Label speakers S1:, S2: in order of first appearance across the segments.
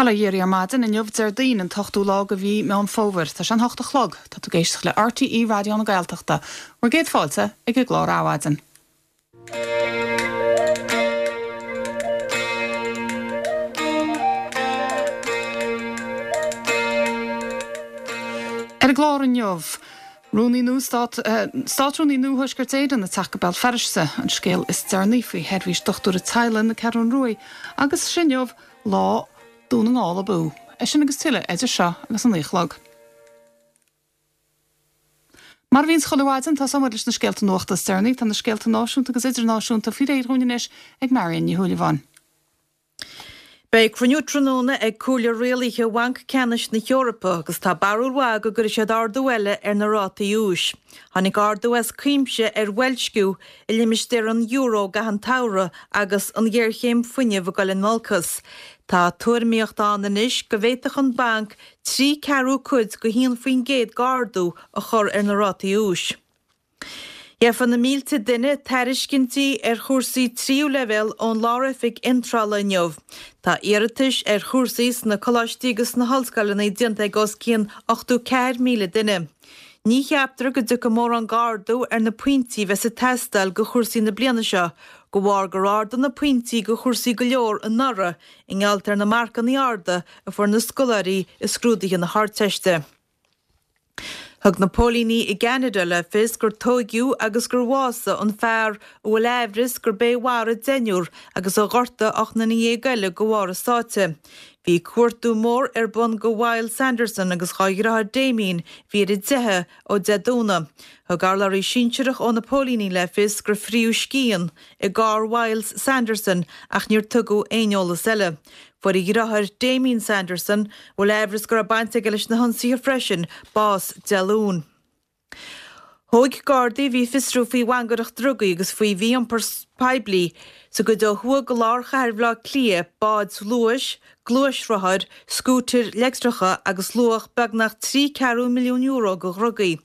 S1: Bail ó Dhia oraibh ar maidin, inniu Déardaoin an t-ochtú lá de mhí Meán Fómhair. Tá sé an hocht a chlog. Tá tú ag éisteacht le RTÉ Raidió na Gaeltachta. Bhur gcéad fáilte ag an gclár Adhmhaidin. Ar an gclár inniu, Rúnaí nua Stát, Státrúnaí nua Thuaisceart Éireann ag teacht go Béal Feirste, an scéal is deireanaí faoi sheirbhís dochtúra teaghlaigh na Ceathrún Ruaidh agus is inniu lá Dún na nGall Abú. É sin agus tuilleadh idir seo agus an 9 a chlog. Mar a bhíonns chuile mhaidin, tosóidh muid leis na scéalta nuachta is deireanaí. Tá na scéalta náisiúnta agus idirnáisiúnta faoi réir dhúinn anois ag Marion Ní Shúilleabháin.
S2: Beidh cruinniú tráthnóna ag Comhairle Rialaithe Bhanc Ceannais na hEorpa agus tá barúil mhaith go gcuirfidh siad ardú eile ar na rátaí úis. Tháinig ardú as cuimse ar bhoilsciú i limistéar an euro i gcaitheamh an tsamhraidh agus an ghéarchéim fuinnimh ag dul in olcas. Tá tuairimíocht ann anois go bhféadfadh an banc 3 ceathrú cuid go 1% d'ardú a chur ar na rátaí úis. Gheofaidh na mílte duine tairiscintí ar chúrsaí tríú leibhéal ón Lár-Oifig Iontrála inniu. Tá iarratais ar chúrsaí sna coláistí agus sna hollscoileanna déanta ag os cionn 84,000 duine. Ní cheaptar go dtiocfaidh mórán d'ardú ar na pointí a bheas ag teastáil do chúrsaí na bliana seo, de bharr gur ardaíodh na pointí do chúrsaí go leor anuraidh i ngeall ar na marcanna arda a fuair na scoláirí i scrúduithe na hArdteiste. Thug na póilíní i gCeanada le fios gur tóigeadh agus gur bhásaigh an fear a bhfuil aimhreas gurb é a mharaigh deichniúr agus a ghortaigh 18 nduine eile de bharr a sáite. Bhí cuartú mór ar bun do Myles Sanderson agus dhá dheartháir Damien a bhí ar a dteitheadh ó Dé Domhnaigh. Thug urlabhraí sinsearach ó na póilíní le fios gur frítheadh scian i gcarr Mhyles Sanderson ach níor tugadh aon eolas eile. Fuair a dheartháir, Damien Sanderson, a bhfuil aimhreas go raibh baint aige leis na hionsaithe freisin, bás Dé Luain. Thóig Gardaí a bhí ag fiosrú faoi mhangaireacht drugaí agus faoi mhí-iompar poiblí sa gcuid ó thuaidh de lár chathair Bhaile Átha Cliath báid luais, gluaisrothair, scútair leictreacha agus luach beagnach €3 ceathrú milliún de dhrugaí.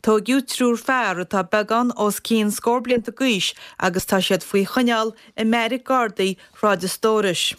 S2: Tóigeadh triúr fear atá beagán os cionn scór blianta d'aois agus tá siad faoi choinneáil i mbeairic Gardaí Shráid an Stórais.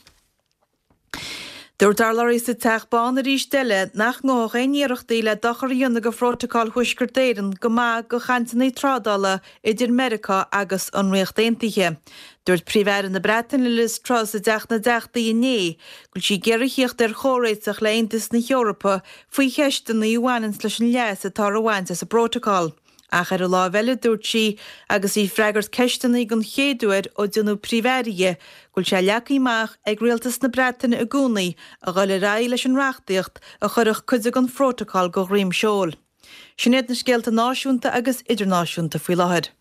S2: Dúirt urlabhraí sa Teach Bán arís eile nach ngabhfadh aon iarrachtaí le dochar a dhéanamh do Phrótacal Thuaisceart Éireann go maith do chainteanna trádála idir Meiriceá agus an Ríocht Aontaithe. Dúirt Príomh-Aire na Breataine Liz Truss i dTeach na dTeachtaí inné go bhfuil sí ag iarraidh theacht ar chomhréiteach le Aontas na hEorpa faoi cheisteanna a bhaineanns leis an leas atáthar a bhaint as an bprótacal. Ach ar an láimh eile, dúirt sí, agus í ag freagairt ceisteanna den chéad uair ó déanadh Príomh-Aire di, go bhfuil sé leagtha amach ag Rialtas na Breataine i gcónaí a dhul ar aghaidh leis an reachtaíocht a chuirfeadh cuid den phrótacal de dhroim seoil. Sin iad na scéalta náisiúnta agus idirnáisiúnta faoi láthair.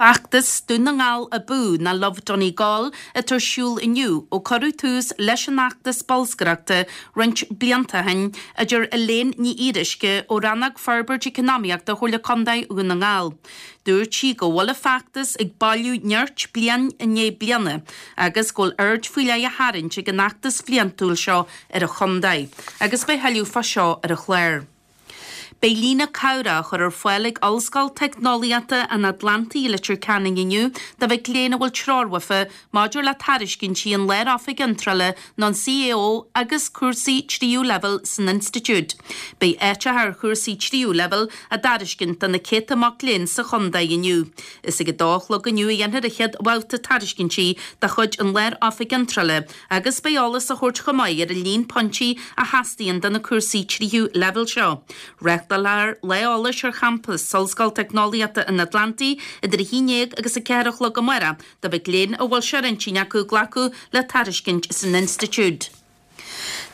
S3: Feachtas Dún na nGall Abú nó Love Donegal atá ar siúl inniu ó cuireadh tús leis an fheachtas bolscaireachta roinnt blianta ó shin, a deir Elaine Ní Fhíoruisce ó Rannóg Forbairt Eacnamaíochta Chomhairle Contae Dhún na nGall. Dúirt sí go bhfuil an feachtas ag bailiú nirt bliain i ndiaidh bliana agus go bhfuil aird faoi leith á tharraingt ag an fheachtas bhliantúil seo ar an chontae agus beidh thuilleadh fá seo ar an chlár. Beidh líne cabhrach á chur ar fáil ag Ollscoil Teicneolaíochta an Atlantaigh i Leitir Ceanainn inniu do mhic léinn a bhfuil treoir uafa maidir le tairiscintí an Lár-Oifig Iontrála nó an CAO agus cúrsaí tríú leibhéal san institiúid. Beidh áiteacha ar chúrsaí tríú leibhéal á dtairiscint do na céadta mac léinn sa chontae inniu. Is ag a dó a chlog inniu a dhéanfar an chéad bhabhta tairiscintí de chuid an Lár-Oifig Iontrála agus beidh eolas á thabhairt chomh maith ar an líon pointí a theastaíonn do na cúrsaí tríú leibhéal seo. Reáchtálfar lá eolais ar champas Ollscoil Teicneolaíochta an Atlantaigh idir 11 agus 4 a chlog amárach do mhic léinn a bhfuil sé ar intinn acu glacadh le tairiscint san institiúid.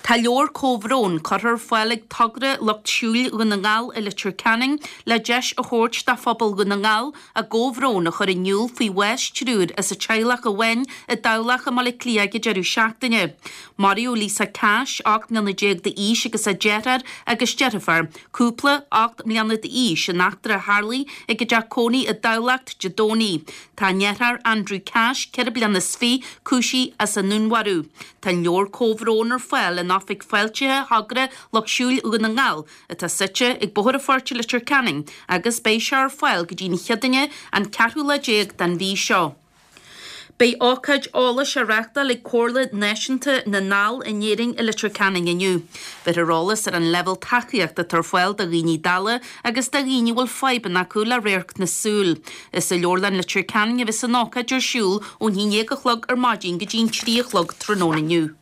S3: Tá leabhar comhbhróin curtha ar fáil ag Togra Lucht Siúil Dhún na nGall i Leitir Ceanainn le deis a thabhairt do phobal Dhún na nGall a gcomhbhrón a chur in iúl faoi bhás triúir as an teaghlach amháin i dTamhlacht i mBaile Átha Cliath ag an deireadh seachtaine. Maraíodh Lisa Cash, 18 mbliana d'aois agus a deartháir agus deirfiúr, cúpla, 8 mbliana d'aois, in eachtra a tharlaigh ag a dteach cónaí i dTamhlacht Dé Domhnaigh. Tá a ndeartháir Andrew Cash, 24 bliana, cúisithe as an ndúnmharú. Tá an leabhar comhbhrón ar fáil. fáil in Oifig Fáiltithe Thogra Lucht Siúil Dhún na nGall, atá suite ag Bóthar an Phoirt i Leitir Ceanainn, agus beidh sé ar fáil go dtí an Chéadaoine an ceathrú lá den mhí seo. Beidh ócáid eolais á reáchtáil ag Comhairle Náisiúnta na nDall in Éirinn i Leitir Ceanainn inniu. Bheirfear eolas ar an leibhéal tacaíochta atá ar fáil do dhaoine dalla agus do dhaoine a bhfuil fadhbanna acu le radharc na súl. Is i Leabharlann Leitir Ceanainn a bheas an ócáid ar siúl ón 11 a chlog ar maidin go dtí an 3 a chlog tráthnóna inniu.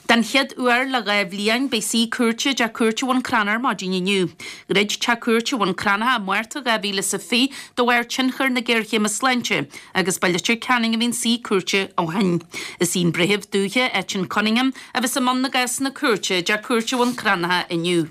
S3: Den chéad uair le 2 bhliain, beidh suí cúirte i dTeach Cúirte Bhun Cranncha ar maidin inniu. Dhruid Teach Cúirte Bhun Cranncha i Márta 2020 de bharr tionchar na géarchéime sláinte agus ba i Leitir Ceanainn a bhí an suí cúirte ó shin. Is í an Breitheamh Dúiche Etain Cunningham a bheas i mbun na gcásanna cúirte i dTeach Cúirte Bhun Cranncha inniu.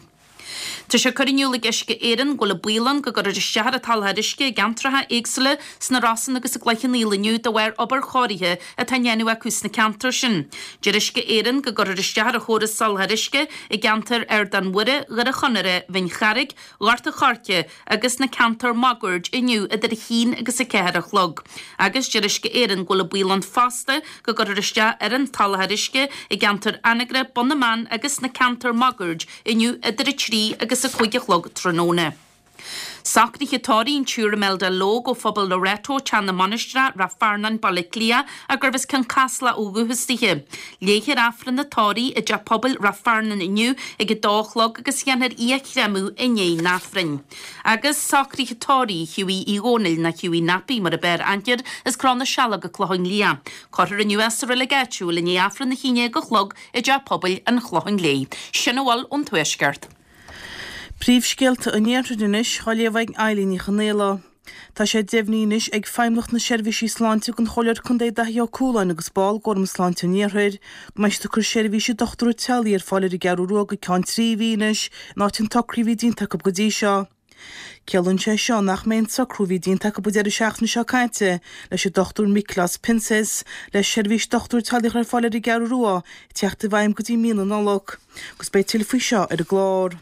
S3: Tá sé curtha in iúl ag Uisce Éireann go bhfuil an baol ann go gcuirfear isteach ar an tsoláthar uisce i gceantracha éagsúla sna Rosann agus i gCloich Cheann Fhaola inniu de bharr obair chóirithe atá á ndéanamh acu sna ceantair sin. Deir Uisce Éireann go gcuirfear isteach ar an chóras soláthair uisce i gceantair Ardán Mhuire, Dhoire Chonaire, Bhinn Charraig, Ghort a' Choirce agus na ceantair máguaird inniu idir a haon agus a ceathair a chlog. Agus deir Uisce Éireann go bhfuil an baol ann fosta go gcuirfear isteach ar an tsoláthar uisce i gceantar Anagaire, Bun na mBan agus sna ceantair máguaird inniu idir 3 agus 5 a chlog tráthnóna. Socruithe tórraimh an tSiúr Imelda Logue ó Phobal Loreto, Teach na Mainistreach, Rath Fearnáin, Baile Átha Cliath, ach gurbh as Cionn Caslach ó dhúchas dithe. Léifear Aifreann an tórraimh i dTeach Pobail Rath Fearnáin inniu ag 2 a chlog agus dhéanfar í a chréamadh i ndiaidh an Aifrinn. Agus socruithe tórraimh Hughie Uí Dhónaill, nó Hughie Nappy mar a b'fhearr aithne air, as Cró na Sealg, an Clochán Liath. Cuirfear inniu é sa reilig áitiúil i ndiaidh Aifreann a haon déag a chlog i dTeach Pobail an Chlocháin Léith. Sin a bhfuil ón Tuaisceart.
S2: Príomhscéalta an Iarthair anois, á léamh ag Eilín Ní Chonaola. Tá sé deimhnithe anois ag Feidhmeannacht na Seirbhísí Sláinte don Chomhairleoir Contae Daithí Ó Cualáin agus ball d'Fhóram Sláinte an Iarthair go mbeidh siad ag cur seirbhíse dochtúra teaghlaigh ar fáil ar an gCeathrú Rua go ceann 3 mhí anois in áit an tsocraithe a bhí déanta acu go dtí seo. Ciallaíonn sé seo nach mbeidh an socrú a bhí déanta acu an deireadh seachtaine seo caite leis an Dr Miklos Pinces le seirbhís dochtúir teaghlaigh a chur ar fáil ar an gCeathrú Rua ag teacht i bhfeidhm go dtí mí na Nollag. Agus beidh tuilleadh faoi seo ar an gclár.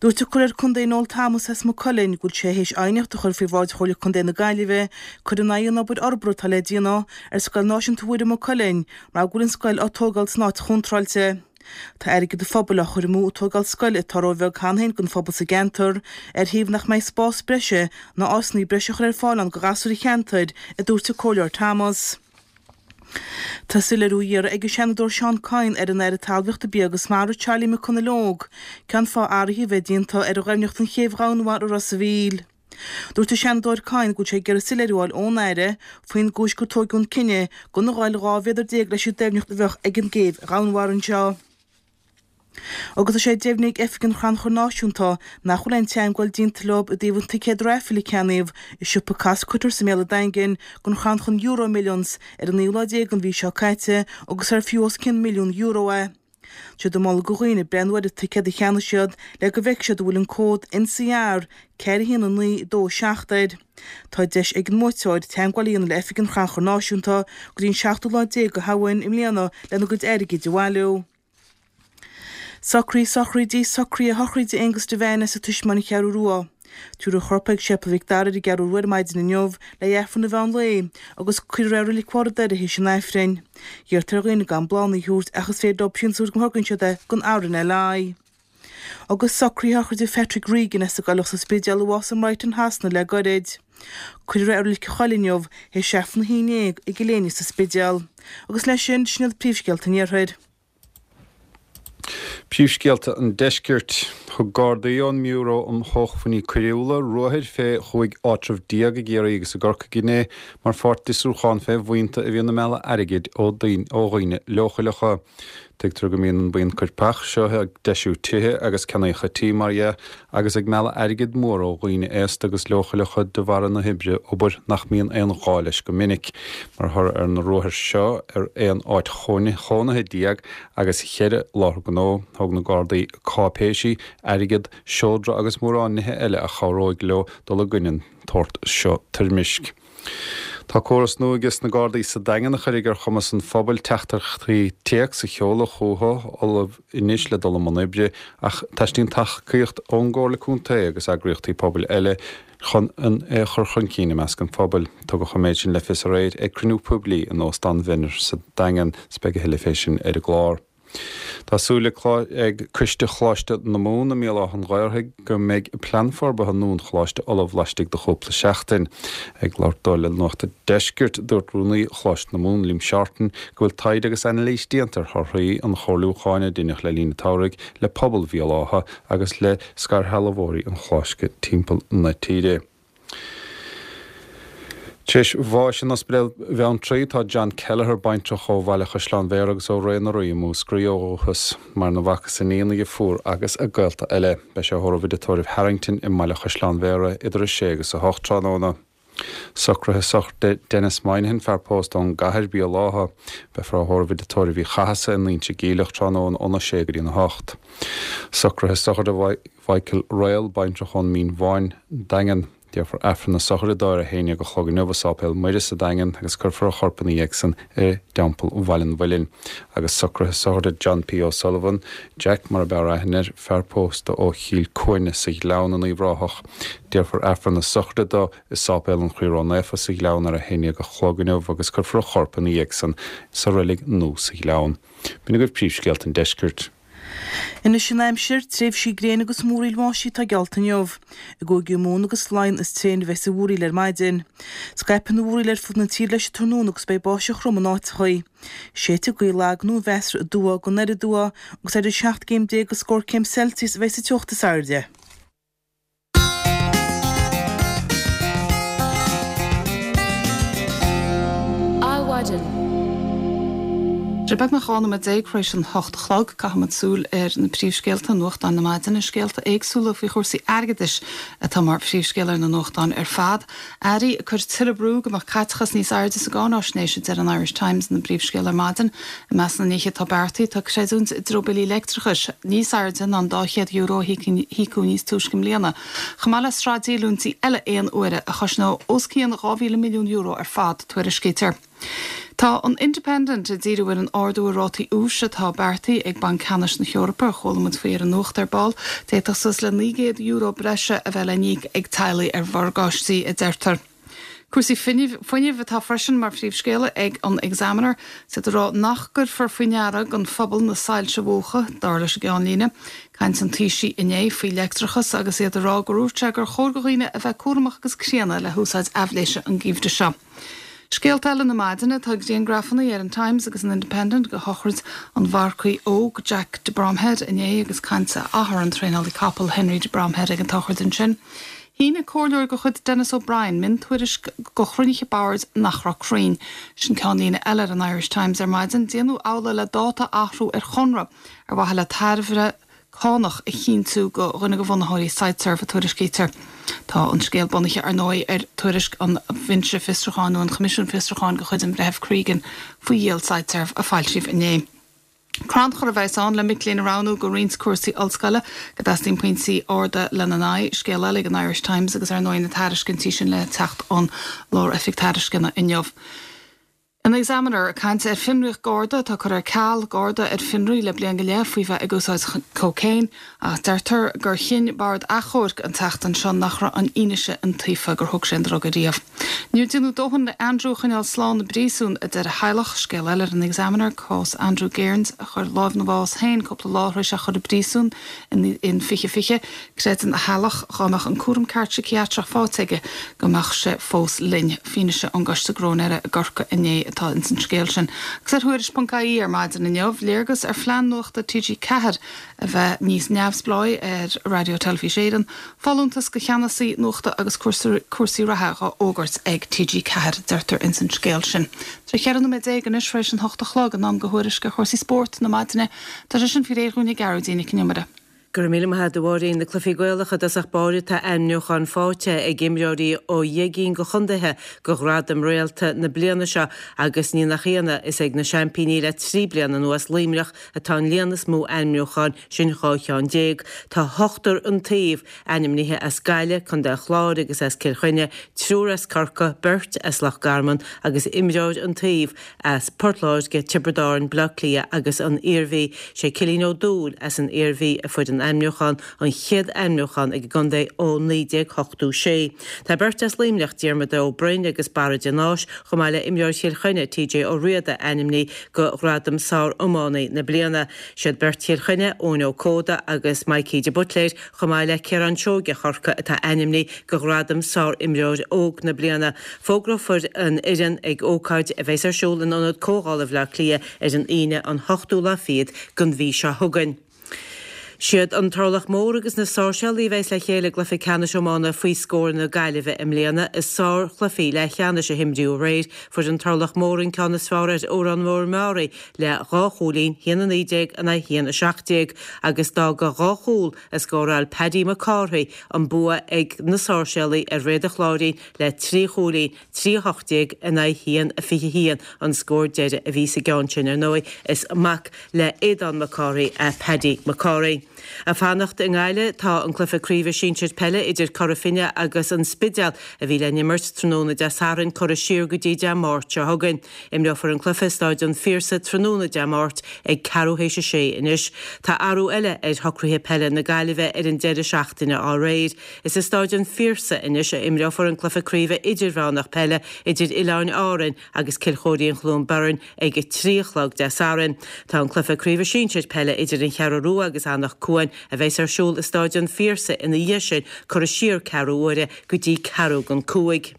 S2: Dúirt an Comhairleoir Contae Noel Thomas as Maigh Cuilinn go bhfuil sé théis aighneacht a chur faoi bhráid Chomhairle Contae na Gaillimhe cur in aghaidh an obair fhorbartha atá le déanamh ar Scoil Náisiúnta Mhuire Maigh Cuilinn mar go bhfuil an scoil á tógáil san áit chontráilte. Tá airgead an phobail á chur amú ag tógáil scoile atá róbheag cheana féin don phobal sa gceantar, ar thaobh nach mbeidh spás breise ná áiseanna breise a chur ar fáil ann do ghasúir an cheantair, a dúirt an Comhairleoir Thomas. Tá soiléiriú á iarraidh ag an Seanadóir Seán Kyne ar an Aire Talmhaíochta, Bia agus Mara, Charlie McConalogue, cén fáth athruithe a bheith déanta ar dhoimhneacht an chéibh dhomhainmhara i Ros a' Mhíl. Dúirt an Seanadóir Kyne go bhfuil sé ag iarraidh soiléiriú a fháil ón Aire faoin gcúis gur tóigeadh an cinneadh gan a ghabháil 12 mhéadar leis an doimhneacht a bheadh ag an gcéibh dhomhainmhara anseo. Agus tá sé deimhnithe ag Oifig an Chrannchuir Náisiúnta nach bhfuil aon teagmháil déanta leo i dtaobh an ticéad raifil a ceannaíodh i siopa Costcutters i mBéal an Daingin don chrannchur EuroMillions ar an naoú lá déag den mhí seo caite agus ar fiú os cionn €1,000,000 é. Tá siad ag moladh do dhaoine breathnú ar an ticéad a cheannaigh siad le go bhfeicfidh siad an bhfuil an cód NCR 4 1 9 2 7 air. Tá deis ag an mbuaiteoir teagmháil a dhéanamh le Oifig an Chrannchuir Náisiúnta go dtí an seachtú lá déag de Shamhain i mbliana lena gcuid airgid a bhailiú. Socruithe sochraide Socruithe sochraide Aengus Devane as an Taismeáin An Cheathrú Rua. Tabharfar a chorp ag Séipéal Mhic Dara ar an gCeathrú Rua ar maidin inniu le hAifreann an mheán lae agus cuirfear é i Reilig Bharr an Doire théis an Aifrinn. Iarrtar ar dhaoine gan bláthanna a thabhairt ach is féidir leo síntiús a thabhairt má thugann siad é don RNLI. Agus socruithe sochraide Phatrick Regan as an gCoileach sa Spidéal a bhásaigh i mBrighton Shasana le goirid. Cuirfear é i Reilig an Choill inniu théis Aifreann a haon déag i gCill Éinne sa Spidéal. Agus leis sin, sin iad príomhscéalta an Iarthair.
S4: Príomhscéalta an Deiscirt. Thug Gardaí ón mBiúró um Shócmhainní Coiriúla ruathair fé chúig áitreabh déag i gCiarraí agus i gCorcaigh inné mar pháirt d'fhiosrúchán fé bhuíonta a bhíonn ag mealladh airgid ó dhaoine leochaileacha. Tuigtear go mbíonn an buíon coirpeach seo ag deisiú tithe agus ceannaíocha tí, mar dhea, agus ag mealladh airgead mór ó dhaoine aosta agus leochaileacha de bharra na hoibre, obair nach mbíonn aon ghá leis go minic. Mar thoradh ar na ruathair seo ar aon áit chónaithe déag agus cheithre láthair gnó, thóg na Gardaí cáipéisí, airgead, seodra agus mórán nithe eile a chabhróidh leo dul i gcoinne an tsórt seo toirmisc. Tá córas nua aige sna Gardaí sa Daingean a chuirfidh ar chumas an phobail teachtaireachtaí téacs a sheoladh chucu, ullamh anois le dul i mbun oibre, ach teastaíonn tacaíocht ón gComhairle Contae agus eagraíochtaí pobail eile chun an é a chur chun cinn i measc an phobail. Tugadh an méid sin le fios aréir ag cruinniú poiblí in Óstán Mhenner sa Daingean. 'S beidh a thuilleadh fé sin ar an gclár. Tá súil ag Coiste Choláiste na Mumhan i mBéal Átha an Ghaorthaidh go mbeidh plean forbartha nua an choláiste ullamh laistigh de chúpla seachtain. Ag labhairt dó le Nuacht an Deiscirt, dúirt Rúnaí Choláiste na Mumhan, Liam Shorten, go bhfuil taighde agus anailís déanta ar thorthaí an chomhairliúcháin a deineadh le linn an tsamhraidh le pobal Bhéal Átha agus le scairshealbhóirí an choláiste timpeall na tíre. Tar éis bháis in Ospidéal Bheanntraí tá John Kelleher, baintreach ó Bhaile Chaisleáin Bhéarra agus ó Rae na Rí i Múscraí ó dhúchas. Maireann a mhac is a iníon, a dheirfiúr agus a gaolta eile. Beidh sé á thórramh i dTigh Tórraimh Harrington i mBaile Chaisleáin Bhéarra idir 6 agus 8 tráthnóna. Socruithe sochraide Denis Moynihan, fear pósta ón gCathair, Béal Átha. Beifear á thórramh i dTigh Tórraimh Uí Chathasaigh i nInse Geimhleach tráthnóna óna 6 go dtí an 8. Socruithe sochraide Mhichael Royal, baintreach ón Mín Bháin, Daingean. Déarfar Aifreann na sochraide dó ar a haon dhéag a chlog inniu i Sáipéal Muire sa Daingean agus cuirfear a chorp ina dhiaidh san i dTeampall Bhaile an Mhuilinn. Agus socruithe sochraide John P. O'Sullivan, Jack mar ab fhearr aithne air, fear pósta ó Chill Cuaine sa Ghleann in Uíbh Ráthach. Déarfar Aifreann na sochraide dó i Sáipéal an Chroí Ró-Naofa sa Ghleann ar a haon dhéag a chlog inniu agus cuirfear a chorp ina dhiaidh san sa reilig nua sa Ghleann. B'in agaibh príomhscéalta an deiscirt.
S5: Anois an aimsir, tréimhsí gréine agus múraíl bháistí atá geallta inniu. I gCúige Mumhan agus Laighean is tréine a bheas an mhúraíl ar maidin. Scaipfidh an mhúraíl ar fud na tíre leis an tráthnóna agus beidh báisteach throm in áiteachaí. Séidfidh gaoth lag nó mheasartha aduaidh go anoir aduaidh agus idir 17 gcéim agus scór céim Celsius a bheas an teocht is airde.
S1: Adhmhaidin. Sé beagnach 12 nóiméad tar éis an hocht a chlog, caithfimid súil ar na príomhscéalta i nuachtáin na maidine, scéalta éagsúla faoi chúrsaí airgeadais atá mar phríomhscéal ar na nuachtáin ar fad. Airí ag cur tuilleadh brú go mbeadh caiteachas níos airde sa gcáináisnéis, a deir an Irish Times ina bpríomhscéal ar maidin. I measc na nithe atá beartaithe tá creidiúint i dtreo billí leictreachais níos airde ná an €200 a híocadh níos túisce i mbliana, chomh maith le sraith díolúintí eile aon uaire a chosnóidh os cionn €2,000 milliún ar fad, tuairiscítear. Tá an Independent ag díriú ar an ardú i rátaí úis atá beartaithe ag Banc Ceannais na hEorpa, a chuala muid faoi ar an nuacht ar ball. D'fhéadfadh suas le €900 breise a bheith le n-íoc ag teaghlaigh ar mhorgáistí, a deirtear. Cúrsaí fuinnimh atá freisin mar phríomhscéala ag an Examiner. Is iad ag rá nach gcuirfear faoi ndeara don phobal na soilse a mhúchadh, dar leis an gceannlíne. Caint an Taoisigh inné faoi leictreachas agus iad ag rá gur dhúirt sé gur chóir do dhaoine a bheith cúramach agus críonna le húsáid aibhléise an geimhreadh seo. Scéalta eile na maidine, tá griangrafanna ar an Times agus an Independent de shochraid an mharcaigh óg Jack de Bromhead inné agus caint a athar, an traenálaí capall Henry de Bromhead ag an tsochraid ansin. Shínigh comhairleoir de chuid Denis O'Brien miontuairisc do chruinnithe boird nach raibh cruinn. Sin ceannlíne eile ar an Irish Times ar maidin. Déanadh amhlaidh le dáta a athrú ar chonradh ar mhaithe le tairbhe cánach a chinntiú do dhuine de bhunaitheoirí Siteserv, a tuairiscítear. Tá an scéal bunaithe, ar ndóigh, ar tuairisc an Bhinse Fiosrúcháin nó an Choimisiúin Fiosrúcháin de chuid an Bhreithimh Cregan faoi dhíol Siteserv a foilsíodh inné. Crannchur a bheas ann le mic léinn a roghnú do roinnt cúrsaí ollscoile go dteastaíonn pointí arda lena n-aghaidh. Scéal eile ag an Irish Times agus ar ndóigh na tairiscintí sin le teacht ón Lár-Oifig Tairisceana inniu. An Examiner ag caint ar fionraíocht Garda atá curtha ar ceal, Garda ar fionraí le bliain go leith faoi bheith ag úsáid cócaon ach deirtear gur chinn Bord Achomhairc an tseachtain seo nach raibh an fhianaise iontaofa gur thóg sé an druga riamh. Níor déanadh dóthain le Andrew a choinneáil slán i bpríosún, a deir a theaghlach. Scéal eile ar an Examiner, cás Andrew Gairns a chuir lámh ina bhás féin cúpla lá tar éis é a chur i bpríosún in 2020. Creideann a theaghlach dhá mbeadh an cúram ceart síciatrach faighte aige go mbeadh sé fós linn. Fianaise ón gCoiste Gróinéara i gCorcaigh inné atá ins an scéal sin. Agus ar Thuairisc.ie ar maidin inniu, léargas ar phlean nuachta TG4 a bheith níos neamhspleáí ar Raidió Teilifís Éireann, Folúntas do cheannasaí nuachta agus cúrsaí reatha dhá fhógairt ag TG4, deirtear ins an scéal sin. Tá 14 nóiméad anois tar éis an hocht a chlog, in am do thuairisc ar chúrsaí spóirt na maidine. Tá sé sin faoi réir dhúinn ag Gearóidín Nic an Iomaire.
S6: Go raibh míle maith agat a Mháirín. Na cluichí Gaelacha i dtosach báire tá ainmniúcháin faighte ag imreoirí ó dheich gcinn de chontaetha do ghradaim Réalta na bliana seo agus ní nach ionadh, is ag na seaimpíní le 3 bliana anuas, Luimneach, atá an líon is mó ainmniúchán, sin 12 cheann. Tá ochtar an taobh ainmnithe as Gaillimh, Contae an Chláir agus as Cill Chainnigh, triúr as Corcaigh, beirt as Loch Garman agus imreoir an taobh as Port Láirge, Tiobraid Árann, Baile Átha Cliath agus an Iarmhí. Sé Cillian Ó Dúill as an Iarmhí a fuair an. san ainmniúchán, an chéad ainmniúchán ag an gcontae ó 1986. Tá beirt as Luimneach, Diarmuid Ó Broin agus Barra de Náis, chomh maith le imreoir Chill Chainnigh, TJ Ó Riada, ainmnithe do ghradam Sár-Iománaí na Bliana. Siad beirt Chill Chainnigh, Eoin Ó Códa agus Mikey de Buitléir, chomh maith le Ciarán Seoige Chorcaí atá ainmnithe do ghradam Sár-Imreoir Óg na Bliana. Fógrófar an fhoireann ag ócáid a bheas ar siúl in Ionad Comhdhála Bhaile Átha Cliath ar an Aoine an hochtú lá fichead den mhí seo chugainn. Siad an Turlach Mór agus na Sáirséalaigh a bheas le chéile i gcluiche ceannais iomána faoi scór na Gaillimhe i mbliana. I sárchluichí leathcheannais a himríodh aréir, fuair an Turlach Mór an ceann is fearr ar Órán Mór Meáraí le 2 chúilín, 1-19 in aghaidh 1-17, agus d'fhág dhá chúl a scóráil Paddy Mac Cárthaigh an bua ag na Sáirséalaigh ar Réad an Chláirín le 3 chúilín, 3-18 in aghaidh 1-21 an scór deiridh a bhí sa gceann sin, ar ndóigh. Is mac le Aodán Mac Cárthaigh é Paddy Mac Cárthaigh. Ag fanacht i nGaillimh tá an cluiche craoibhe sinsir peile idir Cora Finne agus An Spidéal a bhí le n-imirt tráthnóna Dé Sathairn curtha siar go dtí Dé Máirt seo chugainn. Imreofar an cluiche i Stáid an Phiarsaigh tráthnóna Dé Máirt ag ceathrú théis a sé anois. Tá athrú eile ar shocruithe peile na Gaillimhe ar an deireadh seachtaine dá réir. Is i Stáid an Phiarsaigh anois a imreofar an cluiche craoibhe idirmheánach peile idir Oileáin Árainn agus Cill Chóirín-Chluain Bheirn ag 3 a chlog Dé Sathairn. Tá an cluiche craoibhe sinsir peile idir An Cheathrú Rua agus Anach Cuain a bheas ar siúl i Stáid an Phiarsaigh ina dhiaidh sin curtha siar ceathrú uaire go dtí ceathrú don cúig.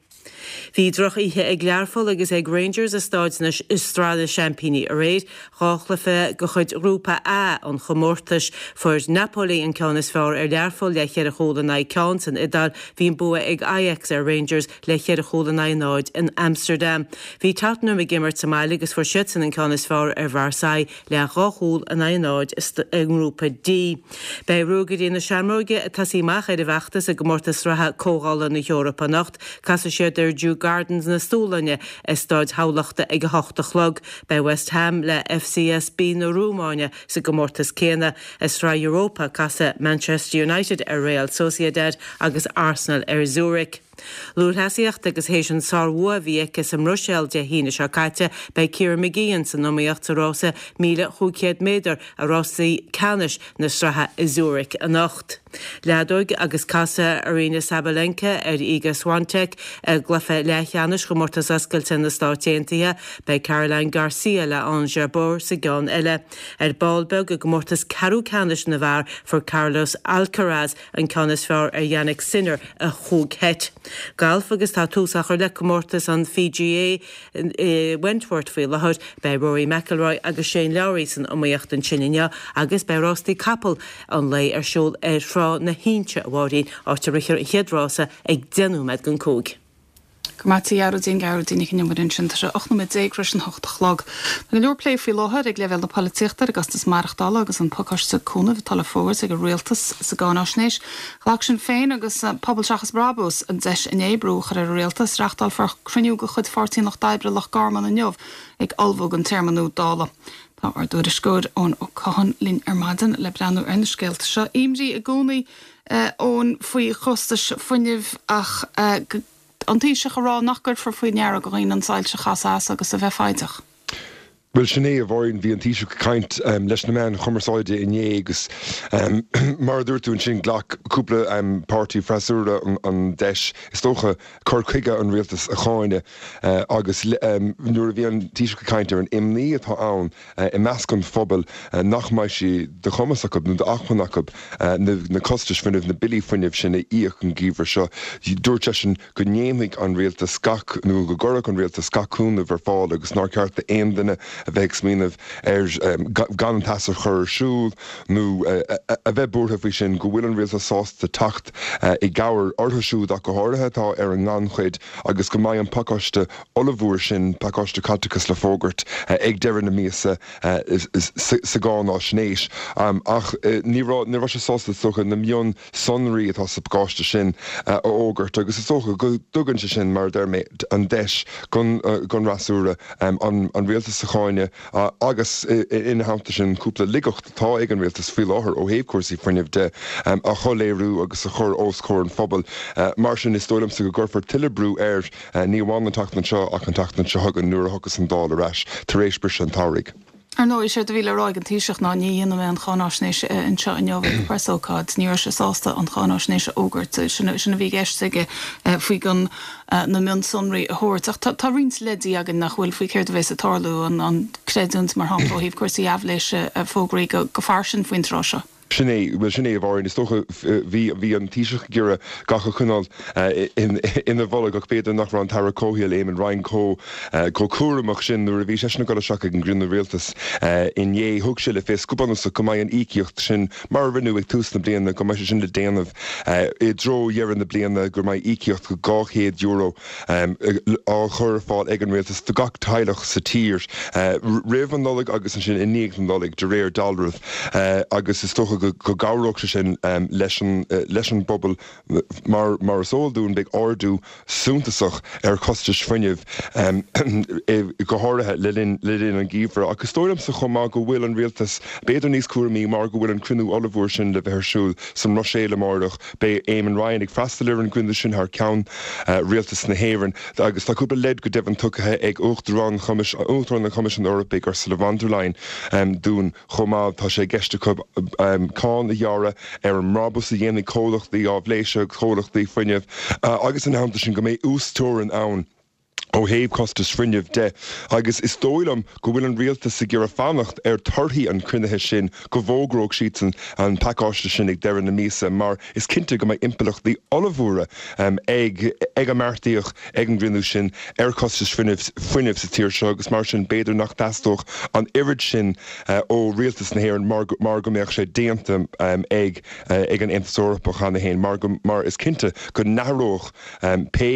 S6: Bhí droch-oíche ag Learpholl agus ag Rangers i Stáid na Sraith na Seaimpíní aréir. Dhá chluiche de chuid Ghrúpa A an chomórtais. Fuair Napoli an ceann is fearr ar Learpholl le cheithre chúl in aghaidh ceann san Iodáil. Bhí an bua ag Ajax ar Rangers le cheithre chúl in aghaidh náid in Amsterdam. Bhí Tottenham ag imirt sa mbaile agus fuair siadsan an ceann is fearr ar Mharseille le dhá chúl in aghaidh náid i nGrúpa D. Beidh Ruagairí na Seamróige ag tosaí amach ar a bhfeachtas i gcomórtas sraithe Comhdhála na hEorpa anocht. Casfaidh siad ar Djurgardens na Sualainne i Staid Thamhlachta ag a hocht a chlog. Beidh West Ham le FCSB na Rúmáine sa gcomórtas céanna. I Sraith Europa, casfaidh Manchester United ar Real Sociedad agus Arsenal ar Zurich. Lúthchleasaíocht agus théis an sár-bhua a bhí aici sa mBruiséil Dé hAoine seo caite, beidh Ciara Mageean san iomaíocht sa rása 1,500 méadar i rásaí ceannais na sraithe i Zurich anocht. Leadóg agus casfaidh Aryna Sabalenka ar Iga Swiatek i gcluiche leathcheannais Chomórtas Oscailte na Stáit Aontaithe. Beidh Caroline Garcia le Ons Jabeur sa gceann eile. Ar ball beag i gcomórtas ceathrú ceannais na bhfear fuair Carlos Alcaraz an ceann is fearr ar Jannik Sinner i chúig sheit. Galf agus tá tús á chur le comórtas an PGA i Wentworth faoi láthair. Beidh Rory McIlroy agus Shane Lowry san iomaíocht ansin inniu agus beidh rástaí capall an lae ar siúl ar Thrá na hInse, a Mháirín, áit a rithfear an chéad rása ag deich nóiméad don cúig.
S1: Go raibh maith agat a Ghearóidín, Gearóidín Nic an Iomaire ansin. Tá sé 18 nóiméad tar éis an hocht a chlog. Tá go leor plé faoi láthair ag leibhéal na polaitíochta ar an gcostas maireachtála agus an pacáiste cúnaimh atá le fógairt ag an Rialtas sa gcáináisnéis. Ghlac Sinn Féin agus Pobal Seachas Brabús an deis inné brú a chur ar an Rialtas. Reáchtálfar cruinniú de chuid Pháirtí an Lucht Oibre Loch Garman inniu ag ullmhú don téarma nua Dála. Tá ár dtuairisceoir Eoin Ó Catháin linn ar maidin le breathnú ar na scéalta seo. Imní i gcónaí Eoin faoi chostais fuinnimh ach an Taoiseach ag rá nach gcuirfear faoi ndeara do dhaoine an soilse a chasadh as agus a bheith foighdeach.
S7: Bhuel, sin é, a Mháirín. Bhí an Taoiseach ag caint leis na meáin chumarsáide inné agus mar a dúirt tú ansin, ghlac cúpla páirtí freasúra an deis, is dócha, cur chuige an rialtais a cháineadh agus nuair a bhí an Taoiseach ag caint ar an imní atá ann i measc an phobail nach mbeidh sé de chumas acu nó d'acmhainn acu na costais fuinnimh, na billí fuinnimh sin a íoc an geimhreadh seo, dúirt seisean go ndéanfaidh an rialtas gach, nó go gcuirfeadh an rialtas gach cúnamh ar fáil agus nár cheart d'aon duine a bheith ag smaoineamh ar gan an teas a chur ar siúl nó a bheith buartha faoi sin, go bhfuil an rialtas sásta teacht i gcabhair orthu siúd ach go háirithe atá ar an ngannchuid agus go mbeidh an pacáiste ollmhór sin, pacáiste caiteachais le fógairt ag deireadh na míosa sa gcáináisnéis. Ach ní raibh, ní raibh sé sásta is dócha na mion sonraí atá sa phacáiste sin a fhógairt agus is dócha go dtugann sé sin, mar a deir mé, an deis don fhreasúra an rialtas a cháineadh agus ina theannta sin cúpla laigeacht atá ag an rialtas faoi láthair ó thaobh cúrsaí fuinnimh de a shoiléiriú agus a chur os comhair an phobail. Mar sin, is dóigh liomsa go gcuirfear tuilleadh brú air, ní amháin an tseachtain seo ach an tseachtain seo chugainn nuair a thiocfas an Dáil ar ais tar éis briseadh an tsamhraidh.
S1: Ar ndóigh, séard a bhí le rá ag an Taoiseach ná ní dhéanfaidh mé an cháináisnéis anseo inniu ag preasócáid. Ní raibh sé sásta an cháináisnéis a fhógairt. Sin a bhí i gceist aige faoi gan na mionsonraí a thabhairt. Ach tá roinnt leidí againn nach bhfuil faoi céard a bheas ag tarlú, an creidiúint mar shampla ó thaobh cúrsaí aibhléise fógraithe go fairsing faoin tráth seo.
S7: Sin é, bhuel sin é a Mháirín, is dócha, bhí, bhí an Taoiseach ag iarraidh gach a choinneáil ina bholg ach b'fhéidir nach raibh an tAire Comhshaoil Eamon Ryan chomh, chomh cúramach sin nuair a bhí seisean ag dul isteach ag an gcruinniú rialtais inné. Thug sé le fios go bunúsach go mbeidh an íocaíocht sin, mar a rinneadh ag tús na bliana, go mbeidh sé sin le déanamh i dtreo dheireadh na bliana, go mbeidh íocaíocht €200 á chur ar fáil ag an rialtas do gach teaghlach sa tír roimh an Nollaig agus ansin i ndiaidh na Nollag, de réir dealraimh, agus is dócha go gcabhródh sé sin leis an bpobal. Mar mar is eol dúinn, beidh ardú suntasach ar chostais fuinnimh, go háirithe le linn le linn an gheimhridh. Ach is dóigh liomsa chomh maith go bhfuil an rialtas b'fhéidir níos cúramaí mar go bhfuil an cruinniú ollmhór sin le bheith ar siúl sa mBruiséil amárach. Beidh Eamon Ryan ag freastal ar an gcruinniú sin thar ceann Rialtas na hÉireann agus tá cúpla leid go deimhin tugtha ag Uachtarán Uachtarán an Choimisiúin Eorpaigh, Ursula von der Leyen, dúinn chomh maith. Tá sé i gceist acu cáin a ghearradh ar an mbrabús a dhéanfaidh comhlachtaí áibhléise agus comhlachtaí fuinnimh agus ina theannta sin go mbeidh uasteorainn ann ó thaobh costais fuinnimh de agus is dóigh liom go bhfuil an rialtas ag iarraidh fanacht ar torthaí an chruinnithe sin go bhfógróidh siadsan an pacáiste sin ag deireadh na míosa mar is cinnte go mbeidh impleachtaí ollmhóra ag ag a mbeartaíodh ag an gcruinniú sin ar chostais fuinnimh fuinnimh sa tír seo agus mar sin b'fhéidir nach dteastódh an oiread sin ó rialtas na hÉireann mar mar go mbeadh sé déanta ag ag an Aontas Eorpach cheana féin mar go mar is cinnte go n-athródh pé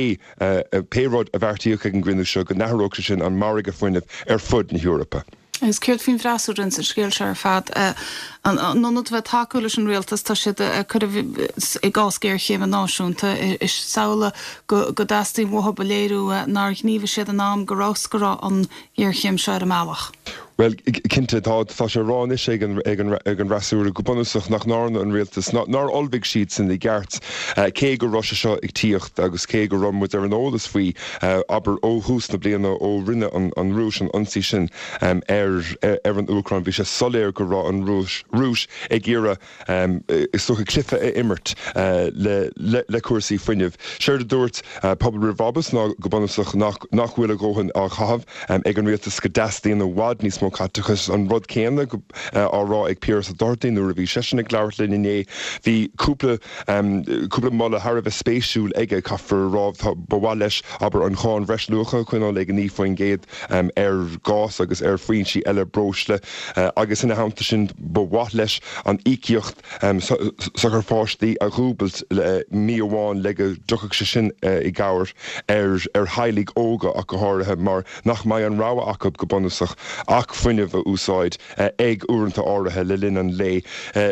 S7: Pé rud a bheartaíodh ag an gcruinniú seo, go n-athródh sé sin an margadh fuinnimh ar fud na hEorpa.
S1: Agus céard faoin bhfreasúra ins an scéal seo ar fad? In ionad a bheith ag tacú leis an rialtas, tá siad ag cur i gcás géarchéime náisiúnta. Is amhlaidh go dteastaíonn uathu a léiriú nár ghníomhaigh siad in am go raibh 's go raibh an ghéarchéim seo ar an mbealach.
S7: Bhuel, cinnte, tá, tá sé á rá anois ag an, ag an, ag an bhfreasúra go bunúsach nach ndearna an rialtas, ná, nár ullmhaigh siadsan i gceart, cé go raibh sé seo ag tíocht agus cé go raibh muid ar an eolas faoi, abair, ó thús na bliana, ó rinne an, an Rúis an ionsaí sin ar, ar an Úcráin, bhí sé soiléir go raibh an Rúis, Rúis ag iarraidh, is dócha, cluiche a imirt le cúrsaí fuinnimh. Séard a dúirt Pobal Roimh Bhrabús ná go bunúsach nach bhfuil a dhóthain á chaitheamh ag an rialtas, go dteastaíonn i bhfad níos mó caiteachais. An rud céanna á rá ag Piaras Ó Dochartaigh nuair a bhí seisean ag labhairt linn inné. Bhí cúpla cúpla moladh thar a bheith spéisiúil aige, caithfear a rá. Ba mhaith leis, abair, an cháin bhreisluacha a choinneáil ag 9%. ar ghás agus ar foinsí eile breosla agus ina theannta sin ba mhaith leis an íocaíocht sochair pháistí a dhúbailt le mí amháin le go dtiocfadh sé sin i gcabhair ar ar theaghlaigh óga ach go háirithe mar nach mbeidh an rogha acu go bunúsach ach fuinneamh a úsáid ag uaireanta áirithe le linn an lae.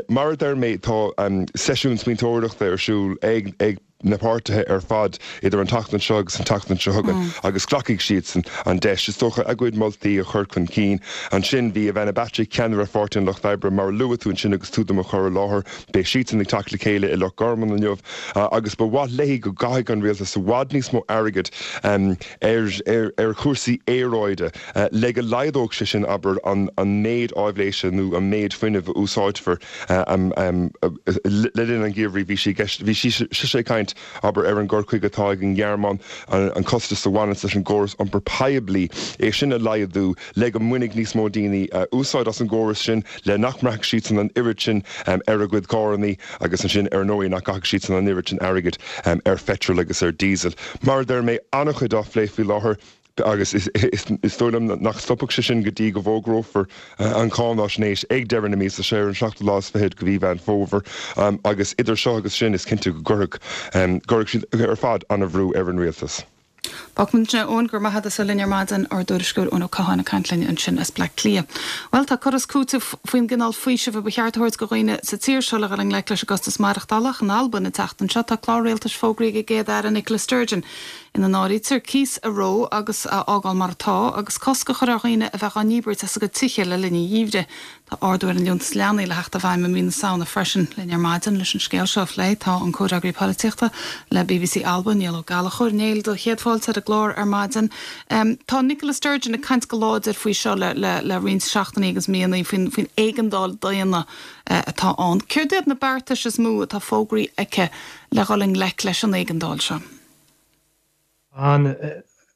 S7: Mar a deir mé tá seisiún smaointeoireachta ar siúl ag ag na páirtithe ar fad idir an tseachtain seo agus an tseachtain seo chugainn agus glacfaidh siadsan an deis, is dócha, a gcuid moltaí a chur chun cinn. Ansin bhí Ivana Bacik, ceannaire Pháirtí an Lucht Oibre, mar a luaigh tú ansin agus tú do mo chur i láthair, beidh siadsan ag teacht le chéile i Loch Garman inniu agus ba mhaith léi go gcaithfeadh an rialtas i bhfad níos mó airgid ar chúrsaí aeráide le go laghdódh sé sin, abair, an méid áibhléise nó an méid fuinnimh a úsáidfear. Le linn an gheimhridh bhí sí i gceist, bhí sise ag caint, abair, ar an gcur chuige atá ag an nGearmáin, an costas a bhaineanns leis an gcóras iompair poiblí, é sin a laghdú le go mbainfidh níos mó daoine úsáid as an gcóras sin, le nach mbraithfidh siadsan an oiread sin ar a gcuid carrannaí agus ansin, ar ndóigh, nach gcaithfidh siadsan an oiread sin airgid ar pheitreal agus ar diesel. Mar a deir mé, an-chuid á phlé faoi láthair. Agus is dóigh liom nach stopfaidh sé sin go dtí go bhfógrófar an cháinaisnéis ag deireadh na míosa seo, ar an seachtú lá is fichead de mhí Mheán Fómhair. Agus idir seo agus sin, is cinnte go gcuirfidh gcuirfidh siad ar fad an-bhrú ar an rialtas.
S1: Fágfaidh muid ansin é, Eoin, go raibh maith agat as a bheith linn ar maidin, ár dtuairisceoir Eoin Ó Catháin ag caint linn ansin as Bleá Cliath. Bhuel, tá cur is cúiteamh faoin gcineál faoisimh a ba cheart a thabhairt do dhaoine sa tír seo le dhul i ngleic leis an gcostas maireachtála ach in Albain an tseachtain seo tá clár rialtais fógraithe ag an gCéad-Aire Nicola Sturgeon ina n-áirítear cíos a reo agus a fhágáil mar atá, agus cosc a chur ar dhaoine a bheith á ndíbirt as a gcuid tithe le linn an gheimhridh. Tá ardú ar an Liúntas Leanaí le theacht i bhfeidhm i mí na Samhna freisin. Linn ar maidin leis an scéal seo a phlé tá an Comhfhreagraí Polaitíochta le bbc Alba, Niall Ó Gallchóir. Néill, do chéad fáilte ar an gclár ar maidin. Tá Nicola Sturgeon ag caint go láidir faoi seo le le roinnt seachtainí agus míonna, faoin faoin éigeandáil daonna atá ann. Céard iad na beartais is mó atá fógraithe aici le dhul i ngleic leis an éigeandáil seo?
S8: Ann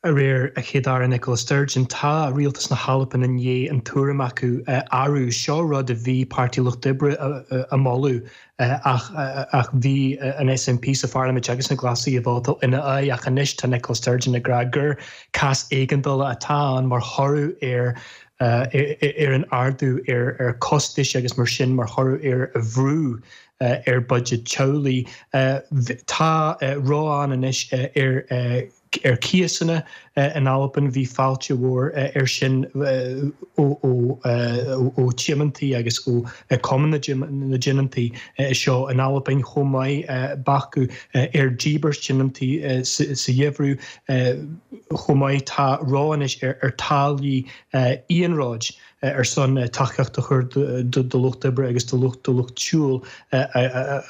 S8: aréir, a Chéad-Aire Nicola Sturgeon, tá Rialtas na hAlban i ndiaidh an tuairim acu a athrú. Seo rud a bhí Páirtí Lucht Oibre a moladh ach ach bhí an SNP sa pharlaimint agus na Glasaigh ag vótáil ina aghaidh ach anois tá Nicola Sturgeon ag rá gur cás éigeandála atá ann mar thoradh ar ar an ardú ar costais agus mar sin mar thoradh ar bhrú ar buiséid teaghlaigh. Tá reo ann anois ar ar cíosanna in Albain. Bhí fáilte mhór air sin ó ó thionóntaí agus ó Cumann na dTionóntaí seo in Albain chomh maith. Bacadh ar díbirt tionóntaí sa gheimhreadh chomh maith. Tá reo anois ar táillí iarnróid. ar son tacaíocht a chur do lucht oibre agus do lucht do lucht siúil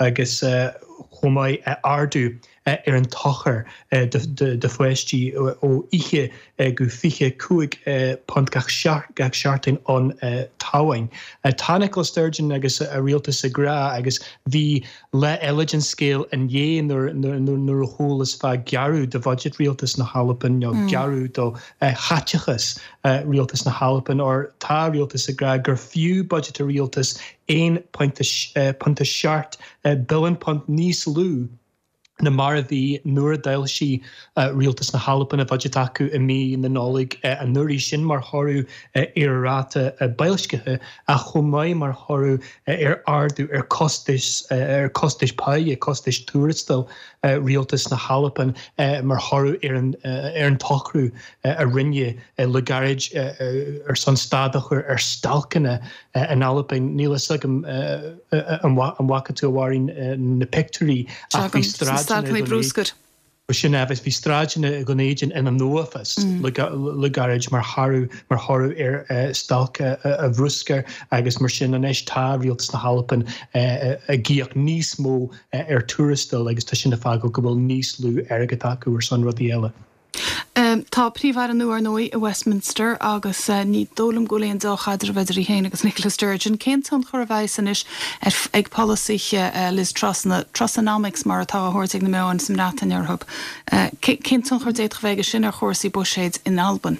S8: agus chomh maith ardú ar an tsochar do pháistí ó 20 go 25 punt gach seachtain an tamhain. Tá Nicola Sturgeon agus a rialtas ag rá agus bhí Lá eile den scéal inné nuair a chualas fá gearradh do bhuiséad Rialtas na hAlban nó gearradh do chaiteachas Rialtas na hAlban óir tá Rialtas ag rá gur fiú buiséad a Rialtais 1.7 billiún punt níos lú ná mar a bhí nuair a d'fhoilsigh Rialtas na hAlban a bhuiséad acu i mí na Nollag anuraidh. Sin mar thoradh ar a ráta boilscithe ach chomh maith mar thoradh ar ardú ar costais ar costais páighe, costais tuarastail Rialtas na hAlban mar thoradh ar an ar an tsocrú a rinneadh le gairid ar son stad a chur ar stailceanna in Albain. Níl fhios agam an bhfaca tú a Mháirín na pictiúirí
S1: ach bhí sráideanna bruscair.
S8: Sin é, bhí sráideanna Dhún Éideann ina n-uafás le gairid mar thoradh mar thoradh ar stailc a bhruscair agus mar sin anois tá Rialtas na hAlban ag íoc níos mó ar tuarastail agus tá sin ag fágáil go bhfuil níos lú airgead acu ar son rudaí eile.
S1: Tá Príomh-Aire nua, ar ndóigh, i Westminster agus ní dóigh liom go bhfuil aon deá-chaidreamh idir í féin agus Nicola Sturgeon. Cén tionchar a bheas anois ag polasaithe Liz Truss, na Trussonomics mar atá á thabhairt ag na meáin sa mBreatain orthu, cén tionchar a d'fhéadfadh a bheith aige sin ar chúrsaí buiséid in Albain?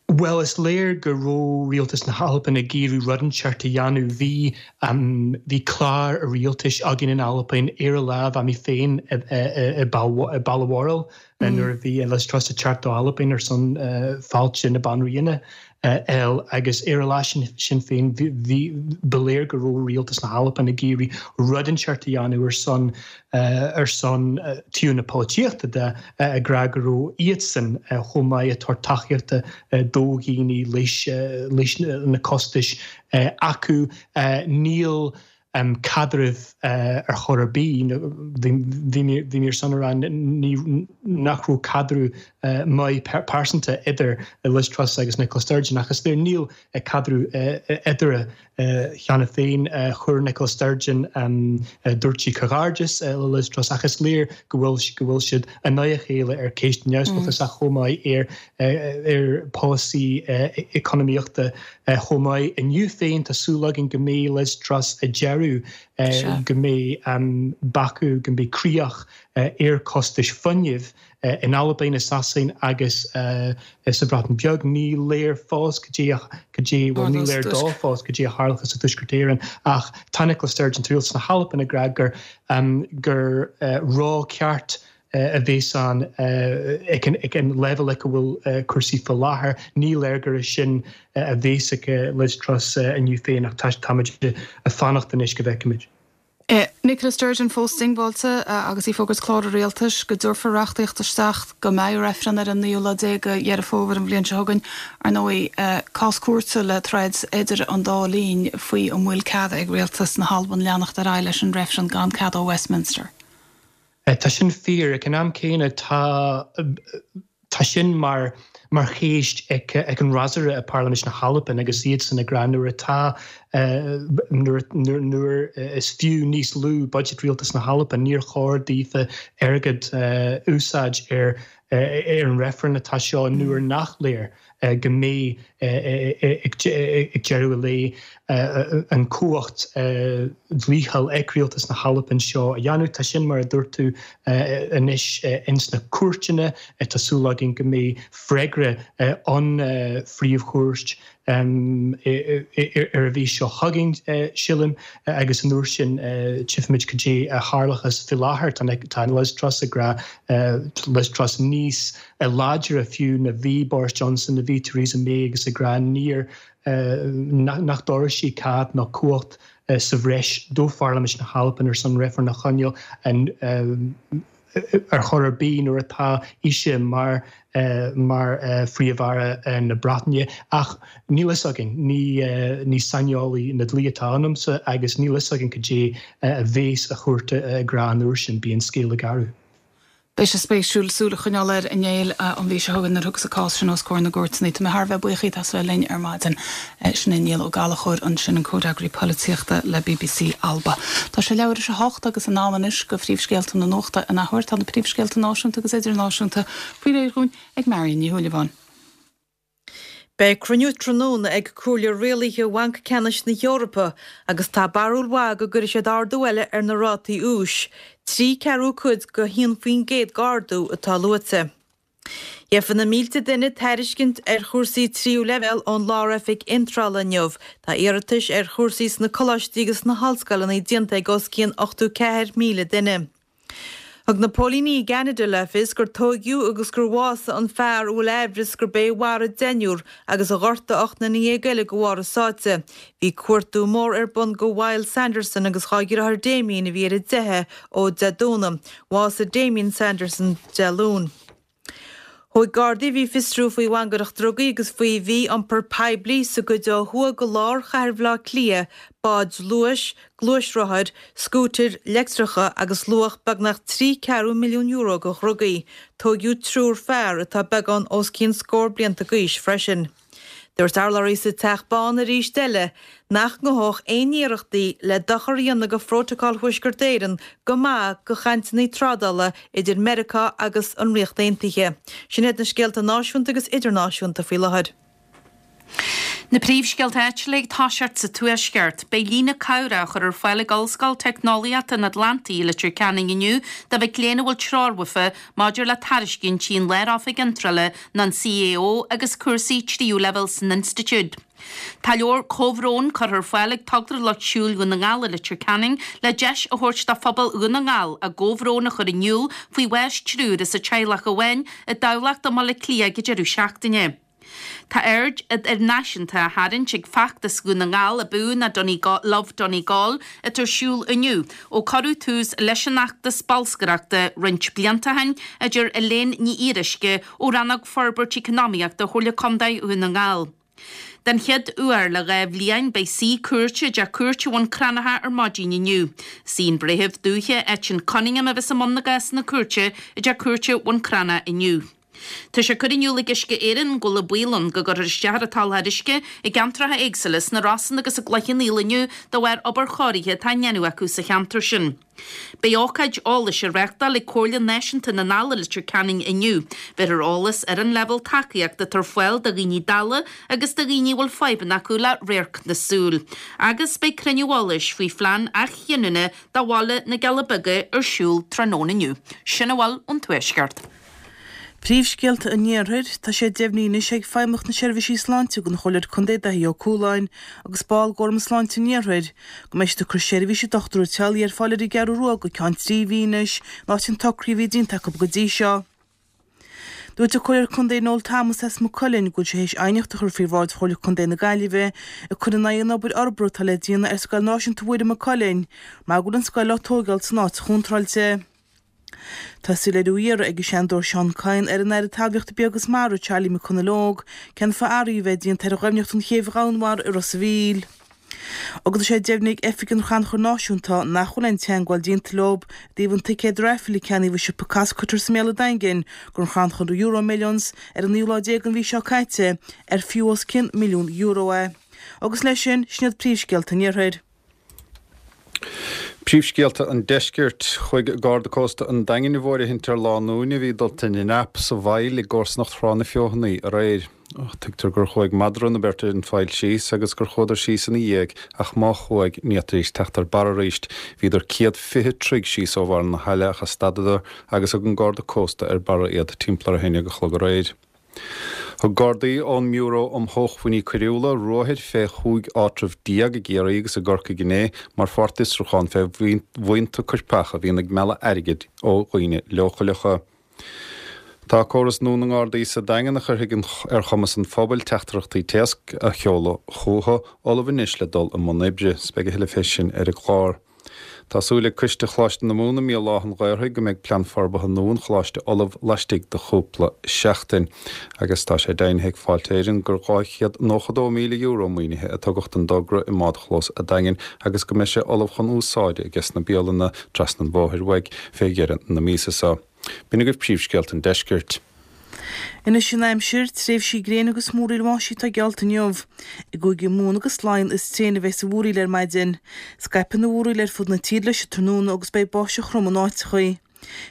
S8: Bhuel, is léir go raibh Rialtas na hAlban ag iarraidh rud inteacht a dhéanamh. Bhí, bhí clár rialtais againn in Albain ar a lá, bhí mé féin i Balmoral nuair a bhí Liz Truss ag teacht do Albain ar son fáilte na Banríona a fháil agus ar a lá sin sin féin bhí, ba léir go raibh Rialtas na hAlban ag iarraidh rud inteacht a dhéanamh ar son ar son taobh na polaitíochta de, ag rá go raibh iadsan chomh maith ag tabhairt tacaíochta do dhaoine leis na costais acu. Níl caidreamh ar chor ar bith, bhí mé ar son a rá nach raibh caidreamh maith pearsanta idir Liz Truss agus Nicola Sturgeon ach is léir níl caidreamh eatarthu Cheana féin, chuir Nicola Sturgeon, dúirt sí comhghairdeas le Liz Truss ach is léir go bhfuil go bhfuil siad in aghaidh a chéile ar ceist neamhspleáchais ach chomh maith ar ar polasaí economaíochta chomh maith. Inniu féin tá súil againn go mbeidh Liz Truss ag deireadh go mbeidh bacadh, go mbeidh críoch ar costais fuinnimh In Albain, i Sasain agus sa Bhreatain Bheag, ní léir fós cad é, cad é, bhuel, ní léir dó fós cad é a tharlóchas i dTuaisceart Éireann ach tá Nicola Sturgeon, tá rialtas na hAlban ag rá gur, gur rogha ceart a bhéas ann ag an leibhéal ag a bhfuil cúrsaí faoi láthair. Ní léir gur é sin a bhéas ag Liz Truss inniu féin ach táimid ag fanacht anois go bhfeicfimid.
S1: Nicola Sturgeon fós diongbháilte agus í ag fógairt clár a rialtais go dtabharfar reachtaíocht isteach go mbeidh reifreann ar an naoú lá déag de Dheireadh Fómhair an bhliain seo chugainn. Ar ndóigh, cás cúirte le troid idir an dá linn faoi an bhfuil cead ag rialtas na hAlban leanacht ar aghaidh leis an reifreann gan cead ó Westminster.
S8: Tá sin fíor. Ag an am céanna tá Tá sin mar mar cheist ag an fhreasúra i bParlaimint na hAlban agus iadsan ag rá nuair atá Nuair is fiú níos lú budget rialtas na hAlban, níor chóir daofa airgead a úsáid ar an reifreann atá seo nuair nach léir go mbeidh ag deireadh an lae an cumhacht dlíthiúil ag rialtas na hAlban seo a dhéanamh. Tá sin mar a dúirt tú anois ins na cúirteanna. Tá súil againn go mbeidh freagra ón Phríomh-Chúirt ar an mhí seo chugainn, sílim, agus an uair sin tchífimid cad é a tharlóchas. Faoi láthair tá Liz Truss ag rá, Liz Truss níos láidre fiú ná bhí Boris Johnson, ná bhí Theresa May agus ag rá níor, nach dtabharfaidh sí cead ná cumhacht sa bhreis do Pharlaimint na hAlban ar son reifreann a choinneáil ar chor ar bith nuair atá ise mar mar Phríomh-Aire na Breataine. Ach níl fhios againn, ní saineolaí na dlí atá ionamsa agus níl fhios againn cad é a bhéas an chúirt ag rá an uair sin, bíonn scéal garbh.
S1: Beidh sé spéisiúil súil a choinneáil air a Néill an mhí seo chugainn nuair a thiocfas an cás sin os comhair na gcúirteanna. Tá mé thar a bheith buíoch díot as a bheith linn ar maidin. Sin é Niall Ó Gallchóir ansin, an Comhfhreagraí Polaitíochta le bbc Alba. Tá sé leathuair tar éis a hocht agus in am anois do phríomhscéalta na nuachta in athuair. Tá na príomhscéalta náisiúnta agus idirnáisiúnta faoi réir dhúinn ag Marion Ní Shúilleabháin.
S2: Beidh cruinniú tráthnóna ag Comhairle Rialaithe Bhanc Ceannais na hEorpa agus tá barúil mhaith go gcuirfidh siad ardú eile ar na rátaí úis, 3 ceathrú cuid go 1% d'ardú atá luaite. Gheobhaidh na mílte duine tairiscint ar chúrsaí tríú leibhéal ón Lár-Oifig Iontrála inniu. Tá iarratais ar chúrsaí sna coláistí agus sna hollscoileanna déanta ag os cionn 84,000 duine. Thug na póilíní i gCeanada le fios gur tóigeadh agus gur bhásaigh an fear a bhfuil aimhreas gurb é a mharaigh deichniúr agus a ghortaigh 18 nduine eile de bharr a sáite. Bhí cuartú mór ar bun do Myles Sanderson agus dhá dheartháir Damien a bhí ar a dteitheadh ó Dé Domhnaigh. Bhásaigh Damien Sanderson Dé Luain. Thóig Gardaí a bhí ag fiosrú faoi mhangaireacht drugaí agus faoi mhí-iompar poiblí sa gcuid ó thuaidh de lár chathair Bhaile Átha Cliath báid luais, gluaisrothair, scútair leictreacha agus luach beagnach €3 milliún de dhrugaí. Tóigeadh triúr fear atá beagán os cionn scór blianta d'aois freisin. Dúirt urlabhraí sa Teach Bán arís eile nach ngabhfadh aon iarrachtaí le dochar a dhéanamh do Phrótacal Thuaisceart Éireann go maith do chainteanna trádála idir Meiriceá agus an Ríocht Aontaithe. Sin iad na scéalta náisiúnta agus idirnáisiúnta faoi láthair.
S3: Na príomhscéalta áitiúla ag toiseacht sa Tuaisceart. Beidh líne cabhrach á chur ar fáil ag Ollscoil Teicneolaíochta an Atlantaigh i Leitir Ceanainn inniu do mhic léinn a bhfuil treoir uafa maidir le tairiscintí an Lár-Oifig Iontrála nó an CAO agus cúrsaí tríú leibhéal san institiúid. Tá leabhar comhbhróin curtha ar fáil ag Togra Lucht Siúil Dhún na nGall i Leitir Ceanainn le deis a thabhairt do phobal Dhún na nGall a gcomhbhrón a chur in iúl faoi bháis triúr as teaghlach amháin i dTamhlacht i mBaile Átha Cliath ag an deireadh seachtaine. Tá aird idirnáisiúnta á tharraingt ag feachtas Dhún na nGall Abú ná Donegal, Love Donegal atá ar siúl inniu ó cuireadh tús leis an fheachtas bolscaireachta roinnt blianta ó shin, a deir Elaine Ní Fhíoruisce ó Rannóg Forbairt Eacnamaíochta Chomhairle Contae Dhún na nGall. Den chéad uair le 2 bhliain beidh suí cúirte i dTeach Cúirte Bhun Cranncha ar maidin inniu. Is í an Breitheamh Dúiche Eitinn Cunningham a bheas i mbun na gcásanna cúirte i dTeach Cúirte Bhun Cranncha inniu. Tá sé curtha in iúl ag Uisce Éireann go bhfuil an baol ann go gcuirfear isteach ar an tsoláthar uisce i gceantracha éagsúla sna Rosann agus i gCloich Cheann Fhaola inniu de bharr obair chóirithe atá á ndéanamh acu sa cheantar sin. Beidh ócáid eolais á reáchtáil ag Comhairle Náisiúnta na nDall i Leitir Ceanainn inniu. Bhéarfar eolas ar an leibhéal tacaíochta atá ar fáil do dhaoine dalla agus do dhaoine a bhfuil fadhbanna acu le radharc na súl. Agus beidh cruinniú eolais faoi phlean athghiniúna do bhaile na gCealla Beaga ar siúl tráthnóna inniu. Sin a bhfuil ón Tuaisceart.
S5: Príomhscéalta an Iarthair, Tá sé deimhnithe anois ag Feidhmeannacht na Seirbhísí Sláinte don Chomhairleoir Contae Daithí Ó Cualáin agus ball d'Fhóram Sláinte an Iarthair go mbeidh siad ag cur seirbhíse dochtúra teaghlaigh ar fáil ar an gCeathrú Rua go ceann 3 mhí anois in áit an tsocraithe a bhí déanta acu go dtí seo. Dúirt an Comhairleoir Contae Noel Thomas as Maigh Cuilinn go bhfuil sé théis aighneacht a chur faoi bhráid Chomhairle Contae na Gaillimhe ag cur in aghaidh an obair fhorbartha atá le déanamh ar Scoil Náisiúnta Mhuire Maigh Cuilinn mar go bhfuil an scoil á tóigeáil san áit chontráilte. Tá soiléiriú á iarraidh ag an Seanadóir Seán Kyne ar an Aire Talmhaíochta Bia agus Mara, Charlie McConalogue, cén fáth athruithe a bheith déanta ar dhoimhneacht an chéibh dhomhainmhara i Ros a' Mhíl. Agus tá sé deimhnithe ag Oifig an Chrannchuir Náisiúnta nach bhfuil aon teagmháil déanta leo i dtaobh an ticéad raifil a ceannaíodh i siopa Costcutter sa mBéal Daingean don chrannchur Euro Millions ar an naoú lá déag den mhí seo caite ar fiú os cionn €1,000,000 é. Agus leis sin, sin iad príomhscéalta an Iarthair.
S4: Príomhscéalta an Deiscirt. Chuaigh Garda Cósta an Daingin i bhfóirithint ar lánúin a bhí dulta ina ndreap sa bhfaill i gcomharsanacht Thrá na Feothanaí aréir. Tuigtear gur chuaigh madra na beirte an faill síos agus gur chuadar síos ina dhiaidh ach má chuaigh, ní fhéadfaidís teacht ar barr arís. Bhíodar 120 troigh síos ó bharr na haille ach a stadadar agus thug an Garda Cósta ar barra iad timpeall ar a haon dhéag a chlog aréir. Thug Gardaí ón mBiúró um Shócmhainní Coiriúla ruathair fé chúig áitreabh déag i gCiarraí agus i gCorcaigh inné mar pháirt d'fhiosrúchán fé bhuíonta coirpeacha a bhíonn ag mealladh airgid ó dhaoine leochaileacha. Tá córas nua na nGardaí sa Daingean a chuirfidh ar chumas an phobail teachtaireachtaí téacs a sheoladh chucu ullamh anois le dul i mbun oibre. 'S beidh a thuilleadh fé sin ar an gclár. Tá súil ag Coiste Choláiste na Mumhan i mBéal Átha an Ghaorthaidh go mbeidh plean forbartha nua an choláiste ullamh laistigh de chúpla seachtain. Agus tá sé deimhnithe ag Fáilte Éireann gur €292,000 maoinithe a tugadh don dtogra i mbádchlós a' Daingin agus go mbeidh sé ullamh chun úsáide ages na bialanna trasna an bhóthair uaidh fé dheireadh na míosa seo. B'in agaibh príomhscéalta an deiscirt.
S5: Anois an aimsir, tréimhsí gréine agus múraíl bháistí atá geallta inniu. I gCúige Mumhan agus Laighean is tréine a bheas an mhúraíl ar maidin. Scaipfidh an mhúraíl ar fud na tíre leis an tráthnóna agus beidh báisteach throm in áiteachaí.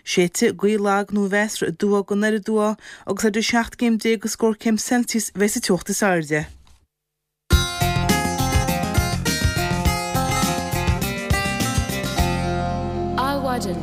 S5: Séidfidh gaoth lag nó mheasartha aduaidh go anoir aduaidh agus idir 17 gcéim agus scór céim Celsius a bheas an teocht is airde.
S1: Adhmhaidin.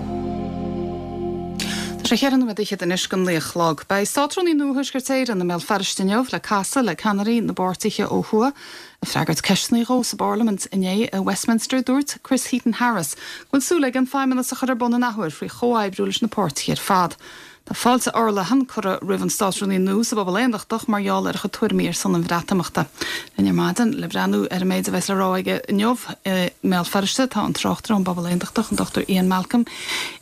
S1: Tá sé cheithre nóiméad fhichead anois go naoi a chlog. Beidh Státrúnaí nua Thuaisceart Éireann i mBéal Feirste inniu le casadh le ceannairí na bpáirtithe ó thuaidh. Ag freagairt ceisteanna dhó sa bParlaimint inné i Westminster, dúirt Chris Heaton-Harris go bhfuil súil aige an Feidhmeannas a chur ar bun an athuair faoi chomhoibriú leis na páirtithe ar fad. Tá fáilte fhorleathan curtha roimh an Státrúnaí nua sa bpobal aontachtach mar gheall ar a chuid tuairimí ar son an Bhreatimeachta. Linn ar maidin le breathnú ar an méid a bheas le rá aige inniu i mBéal Feirste tá an tráchtaire ón bpobal aontachtach, an Dr Ian Malcolm.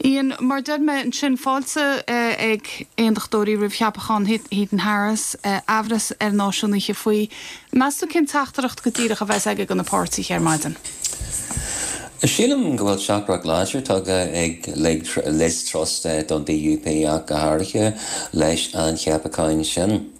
S1: Ian, mar a deir mé ansin, fáilte ag aontachtóirí roimh cheapachán Heaton Harris, aimhreas ar náisiúnaithe faoi. Meas tú cén teachtaireacht go díreach a bheas aige do na páirtithe ar maidin?
S9: Sílim go bhfuil teachtaireacht láidir tugtha ag Liz Truss don DUP ach go háirithe leis an cheapachán sin.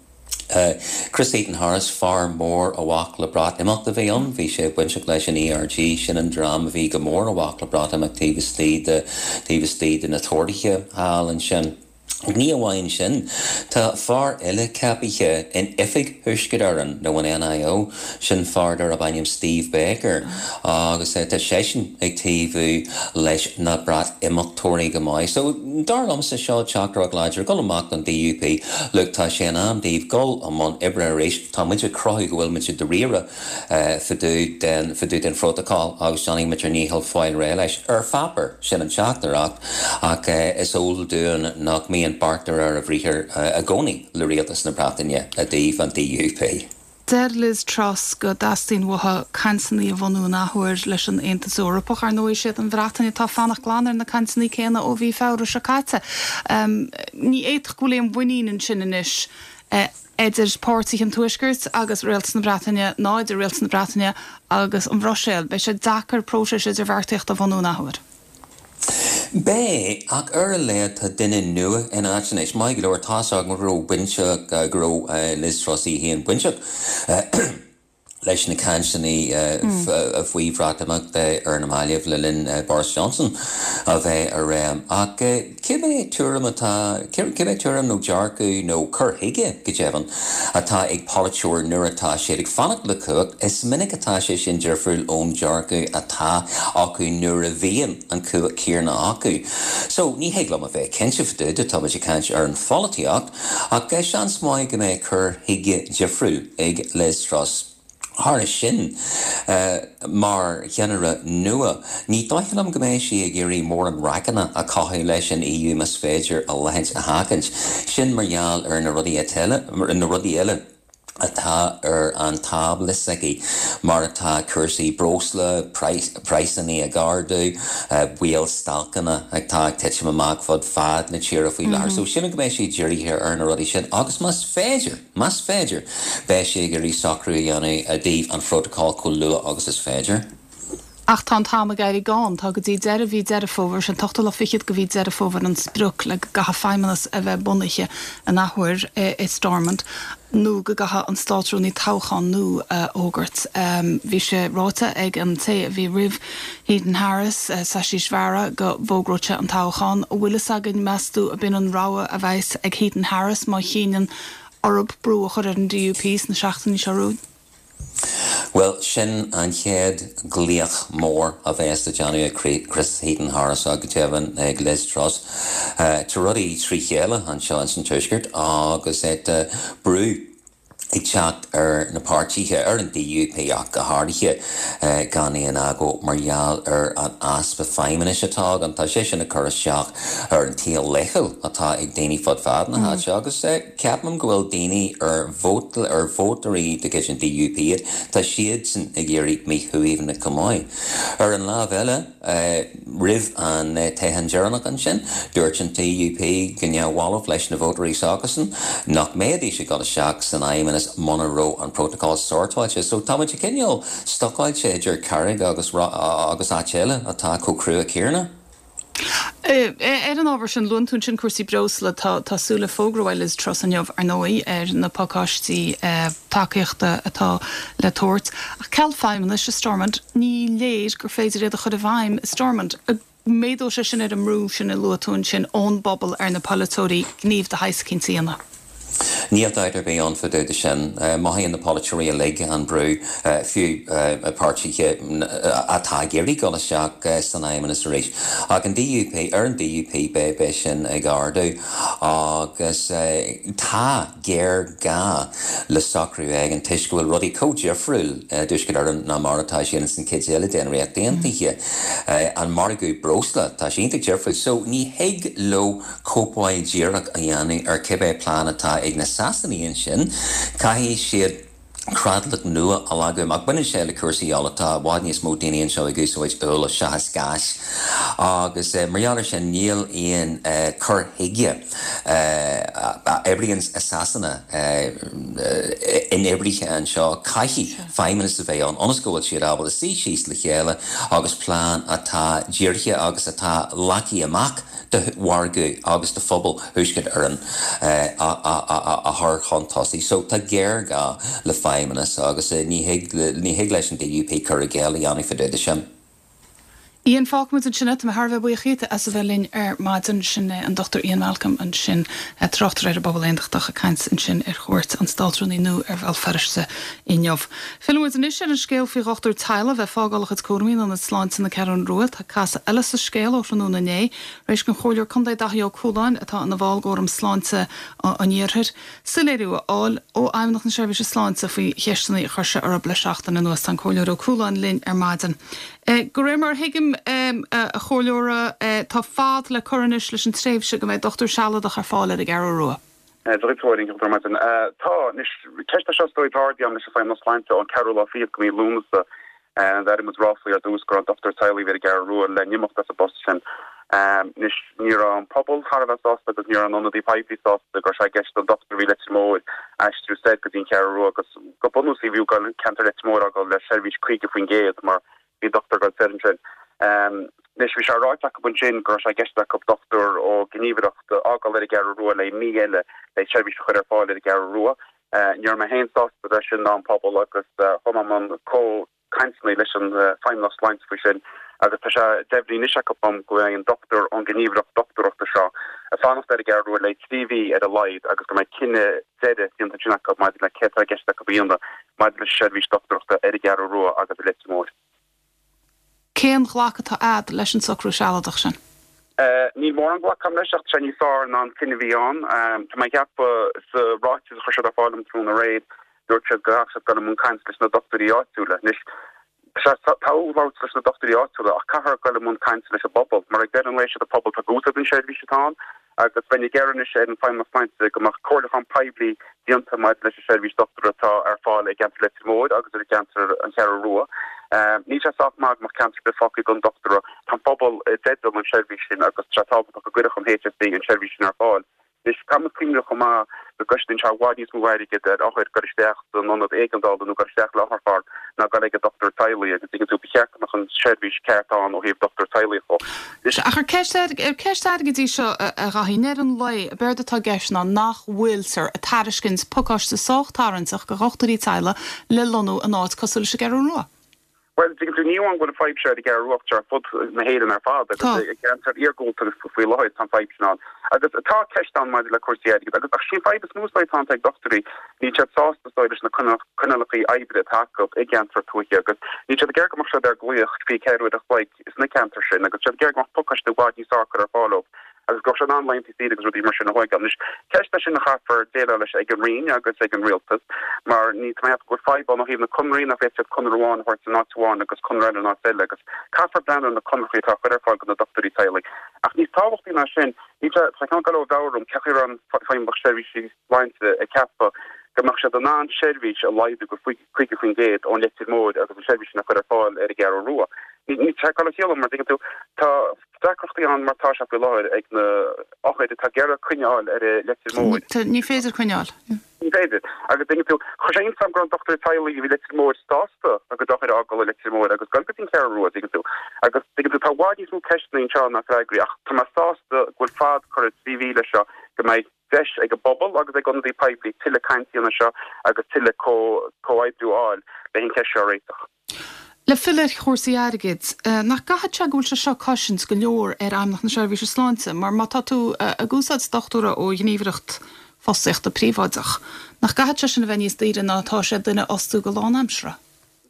S9: Chris Heaton-Harris, fear mór i bhfách le Breatimeacht a bhí ann. Bhí sé bainteach leis an ERG, sin an dream a bhí go mór i bhfách le Breatimeacht taobh istigh de taobh istigh de na Tóraithe thall ansin. Ní amháin sin, tá fear eile ceapaithe in Oifig Thuaisceart Éireann, nó an NIO, sin fear darb ainm Steve Baker, agus tá seisean ag taobhú leis na Breatimeachtóirí go maith. So, dar liomsa, seo teachtaireacht láidir, dul amach don DUP, look, tá sé in am daoibh dul i mbun oibre arís, tá muid ag cruthú go bhfuil muid i dáiríre fá dtaobh den, fá dtaobh den phrótocol agus déanfaidh muid ár ndícheall fáil réidh leis. Ar pháipéar, sin an teachtaireacht, ach is eol dúinn nach mbíonn beart de réir a bhriathair i gcónaí le rialtas na Breataine i dtaobh an DUP.
S1: Deir Liz Truss go dteastaíonn uaithi cainteanna a bhunú an athuair leis an Aontas Eorpach. Ar ndóigh, is iad an Bhreatain atá ag fanacht glan ar na cainteanna céanna ó mhí Feabhra seo caite. Ní fhéadfadh go bhfuil aon mhuinín ansin anois idir páirtithe an Tuaiscirt agus Rialtas na Breataine ná idir Rialtas na Breataine agus an Bhruiséil. Beidh sé deacair próiseas idirbheartaíochta a bhunú an athuair.
S9: Beidh, ach ar a laghad tá duine nua in áit anois. Maith go leor, tá's agam go raibh bainteach, go raibh Liz Truss í féin bainteach leis na cainteanna faoi Bhreatimeacht ar na mallaibh le linn Boris Johnson a bheith i réim. Ach cibé tuairim atá, cibé tuairim nó dearcadh nó cur chuige, go deimhin, atá ag polaiteoir nuair atá siad ag fanacht le cumhacht, is minic atá sé sin difriúil ón dearcadh atá acu nuair a bhíonn an cumhacht céanna acu. So, ní thig liom a bheith cinnte fá dtaobh de, tá muid ag caint ar an pholaitíocht, Ach seans maith go mbeidh cur chuige difriúil ag Liz Truss. Thairis sin, mar cheannaire nua, ní dóigh liom go mbeidh sí ag iarraidh mórán raiceanna a chothú leis an EU más féidir a leithéid a sheachaint. Sin mar gheall ar na rudaí na rudaí eile atá ar an tábla s'aici, mar atá cúrsaí breosla, praghsanna ag ardú, baol stailceanna atá ag titim amach fud fad na tíre faoi láthair. So sílim go mbeidh sí dírithe ar na rudaí sin agus más féidir, más féidir, beidh sí ag iarraidh socrú a dhéanamh i dtaobh an phrótacail chomh luath agus is féidir.
S1: Ach tá an t-am ag éirí gann. Tá go dtí deireadh mhí Deireadh Fómhair, sin an t-ochtú lá fichead de mhí Deireadh Fómhair an sprioc le go gcaithfidh Feidhmeannas a bheith bunaithe an athuair i Stormont nó go gcaithfidh an Státrúnaí toghchán nua a fhógairt. Bhí sé ráite ag an té a bhí roimh Heaton Harris, Ashish Bhera, go bhfógródh sé an toghchán. An bhfuil fhios againn, meas tú, ab in an rogha a bheas ag Heaton Harris má chinneann orthu brú a chur ar an DUP sna seachtainí seo romhainn?
S9: Bhuel, sin an chéad ghlaoch mór a bheas le déanamh ag Chris Heaton-Harris agus go deimhin ag Liz Truss. Tá rudaí trí chéile anseo ins an Tuaisceart agus tá brú ag teacht ar na páirtithe, ar an DUP ach go háirithe, gan aon agó mar gheall ar an easpa feidhmeannais atá againn. Tá sé sin ag cur isteach ar an tsaol laethúil atá ag daoine fud fad na háite agus Ceapaim go bhfuil daoine ar vótáil, ar vótóirí de chuid an DUP iad, tá siadsan ag éirí míshuaimhneach chomh maith. Ar an lámh eile, roimh an toghchán deireanach ansin, dúirt an DUP go neamhbhalbh leis na vótóirí s'acusan nach mbeidís ag dul isteach san fheidhmeannas muna raibh an prótacal sortáilte. So tá muid cineál stucáilte idir carraig agus agus áit eile atá chomh crua céanna.
S1: Ar an ábhar sin, luann tú ansin cúrsaí breosla. Tá súil le fógra uaidh Liz Truss inniu, ar ndóigh, ar na pacáistí tacaíochta atá le tabhairt. Ach ceal feidhmeannais i Stormont, ní léir gur féidir iad a chur i bhfeidhm i Stormont. An méadóidh sé sin ar an mbrú sin a luaigh tú ansin ón bpobal ar na polaiteoirí gníomh de shaghas eicínt a dhéanamh?
S9: Níl dabht ar bith ann fá dtaobh de sin. Mothaíonn na polaiteoirí uilig an brú, fiú páirtithe atá ag iarraidh dul isteach san fheidhmeannas arís. Ach an DUP, ar an DUP beidh sin ag ardú agus tá géarghá le socrú éigin toisc go bhfuil rudaí chomh difriúil i dTuaisceart Éireann ná mar atá siad ins an chuid eile den Ríocht Aontaithe. An margadh breosla, tá sé iontach difriúil. So ní thig leo cóipeáil díreach a dhéanamh ar cibé plean atá ag na Sasanaigh ansin, caithfidh siad creatlach nua a leagadh amach. Baineann sé le cúrsaí ola, tá i bhfad níos mó daoine anseo ag úsáid ola seachas gás agus mar gheall ar sin níl aon cur chuige a oibríonn i Sasana inoibrithe anseo. Caithfidh feidhmeannas a bheith ann ionas go bhfuil siad ábalta suí síos le chéile agus plean atá dírithe agus atá leagtha amach do mhargadh agus do phobal Thuaisceart Éireann a chur chun tosaigh. So tá géarghá le feidhmeannas agus ní thig, ní thig leis an DUP cur i gcéill a dhéanamh fá dtaobh de sin.
S1: Ian, fágfaimid ansin é. Tá mé thar a bheith buíoch dhíot as a bheith linn ar maidin. Sin é an Dr Ian Malcolm ansin, tráchtaire ar an bPobal Aontachtach, ag caint ansin ar chuairt an Státrúnaí nua ar Bhéal Feirste inniu. Fillfidh muid anois ar an scéal faoi dhochtúir teaghlaigh a bheith ag fágáil a chuid cúraimí in Ionad Sláinte na Ceathrún Rua. Tá casadh eile sa scéal ó thráthnóna inné, tar éis don Chomhairleoir Contae Daithí Ó Cualáin, atá ina bhall d'Fhóram Sláinte an Iarthair, soiléiriú a fháil ó Fheidhmeannacht na Seirbhíse Sláinte faoi cheisteanna a chuir sé orthu le seachtain anuas. Tá an Comhairleoir Ó Cualáin linn ar maidin. De réir mar a thuigim, a Chomhairleora, tá fad le cur anois leis an tréimhse go mbeidh dochtúir sealadach ar fáil ar an gCeathrú Rua.
S10: Dia duit a Mháirín, ar maidin. Tá, anois, ceist é seo is dóigh atá ardaithe agam leis an Feidhmeannas Sláinte ón ceathrú lá fichead de mhí Lúnasa. D'airigh muid ráflaí ar dtús go raibh an dochtúir teaghlaigh a bhí ar an gCeathrú Rua le n-imeacht as an bpost sin. Anois, ní raibh an pobal thar a bheith sásta agus ní raibh an ionadaí poiblí sásta go raibh sé i gceist don dochtúir a bhí i Leitir Móir aistriú soir go dtí an Cheathrú Rua agus go bunúsach bhí ceantar Leitir Móir a fhágáil le seirbhís 50% mar Bhí dochtúir ag dul soir ansin. Anois, bhí sé ráite acu ansin go raibh sé i gceist acu dochtúir ó ghníomhaireacht a fhágáil ar an gCeathrú Rua le mí eile le seirbhís a chur ar fáil ar an gCeathrú Rua. Ní raibh mé féin sásta leis sin ná an pobal agus chuaigh mé i mbun comhchainteanna leis an Feidhmeannacht Sláinte faoi sin agus tá sé deimhnithe anois acu dom go mbeidh an dochtúir ón ghníomhaireacht dochtúireachta seo ag fanacht ar an gCeathrú Rua le trí mhí ar a laghad agus go mbeidh cinneadh deiridh déanta ansin acu maidir le céard atá i gceist acu a dhéanamh maidir leis an seirbhís dochtúireachta ar an gCeathrú Rua agus i Leitir Móir.
S1: Cén ghlacadh atá a'd leis an socrú sealadach sin?
S10: Níl mórán glactha agam leis ach tá sé níos fearr ná an cinneadh a bhí ann. Tá mé ag ceapadh sa ráiteas a chuir siad ar fáil dom tráthnóna aréir, dúirt siad go gcaithfeadh siad dul i mbun cainte leis na dochtúirí áitiúla. Anois, Tá sé togha labhairt leis na dochtúirí áitiúla ach caithfear dul i mbun cainte leis an bpobal mar ag deireadh an lae siad an pobal atá ag úsáid an seirbhís atá ann agus bheinn ag iarraidh anois ar an Feidhmeannas Sláinte go mbeadh comhairliúchán poiblí déanta maidir leis an seirbhís dochtúra atá ar fáil i gceantar Leitir Móir agus i gceantar an Cheathrú Rua. Níl sé sách maith go mbeadh ceantar ar bith fágtha gan dochtúra. Tá an pobal i dteideal an seirbhís sin agus tá sé tábhachtach go gcuirfeadh an HSE an seirbhís sin ar fáil. Anois, caithfidh muid cuimhneamh chomh maith go gcosnaíonn sé i bhfad níos mó airgid ar othair dul isteach san ionad éigeandála nó dul isteach le otharcharr ná dul ag an dochtúir teaghlaigh agus tuigeann tú, ba cheart go mbeadh an seirbhís ceart ann ó thaobh dochtúir teaghlaigh
S1: dhó. Anois. Ach ar ceist ar ceist airgid í seo, a Dhaithí? I ndeireadh an lae, ab éard atá i gceist ná nach bhfuiltear ag tairiscint pacáiste sách tarraingteach do dhochtúirí teaghlaigh le lonnú in áit cosúil leis an gCeathrú Rua.
S10: Bhuel, tuigeann tú, ní amháin go bhfuil an fadhb seo ar an gCeathrú Rua ach ar fud na hÉireann ar fad agus i gceantair iargúlta faoi láthair tá an fadhb sin ann. Agus tá ceist ann maidir le cúrsaí airgid agus ach sí an fadhb is mó is dóigh atá ann ag dochtúirí, níl siad sásta is dóigh leis na coinníollacha oibre atá acu i gceantair tuaithe agus níl siad ag iarraidh go mbeadh siad ar glaoch 24 uair a chloig sna ceantair sin agus tá siad ag iarraidh go mbeadh pacáiste i bhfad níos fearr curtha ar fáil dóibh. agus go raibh siad in ann laethanta saoire agus rudaí mar sin a thógáil. Anois, ceist é sin a chaithfear déileáil leis ag an Roinn agus ag an Rialtas mar ní tá mé ag ceapadh go bhfuil fadhb ann ó thaobh na conraí nach bhféadfaidh siad conradh amháin a thabhairt in áit amháin agus conradh eile in áit eile agus caithfear breathnú ar na conarthaí atá á chur ar fáil do na dochtúirí teaghlaigh. Ach níos tábhachtaí ná sin, níl sé, tá ceann ag dul ó mheabhair orm cén chaoi a raibh an Feidhmeannacht Seirbhísí Sláinte ag ceapadh go mbeadh siad in ann seirbhís a laghdú go 50% ón Leitir Móir agus an seirbhís sin a chur ar fáil ar an gCeathrú Rua. Níl sé ag dul a chiall mar tuigeann tú, tá deacrachtaí ann mar tá sé faoi láthair ag na othair atá ag iarraidh coinne a fháil ar an Leitir Móir.
S1: Ní féidir coinne a fháil.
S10: Ní féidir. Agus tuigeann tú, chuir sé iontas orm go raibh an dochtúir teaghlaigh a bhí i Leitir Móir sásta a gcuid othair a fhágáil i Leitir Móir agus dul go dtí an Cheathrú Rua, tuigeann tú. Agus tuigeann tú, tá i bhfad níos mó ceisteanna anseo ná freagraí ach tá mé sásta go bhfuil fad curtha 3 mhí leis seo go mbeidh deis ag an bpobal agus ag ionadaí poiblí tuilleadh cainte a dhéanamh seo agus tuilleadh comhoibriú a fháil le an cheist seo a réiteach.
S1: Le filleadh ar chúrsaí airgid, nach gcaithfidh sé go bhfuil sé seo ag cosaint go leor ar Fheidhmeannacht na Seirbhíse Sláinte, mar má tá tú ag úsáid dochtúra ó ghníomhaireacht fostaíochta príobháideach, nach gcaithfidh sé sin a bheith níos daoire ná atá sé duine a fhostú go lánaimseartha?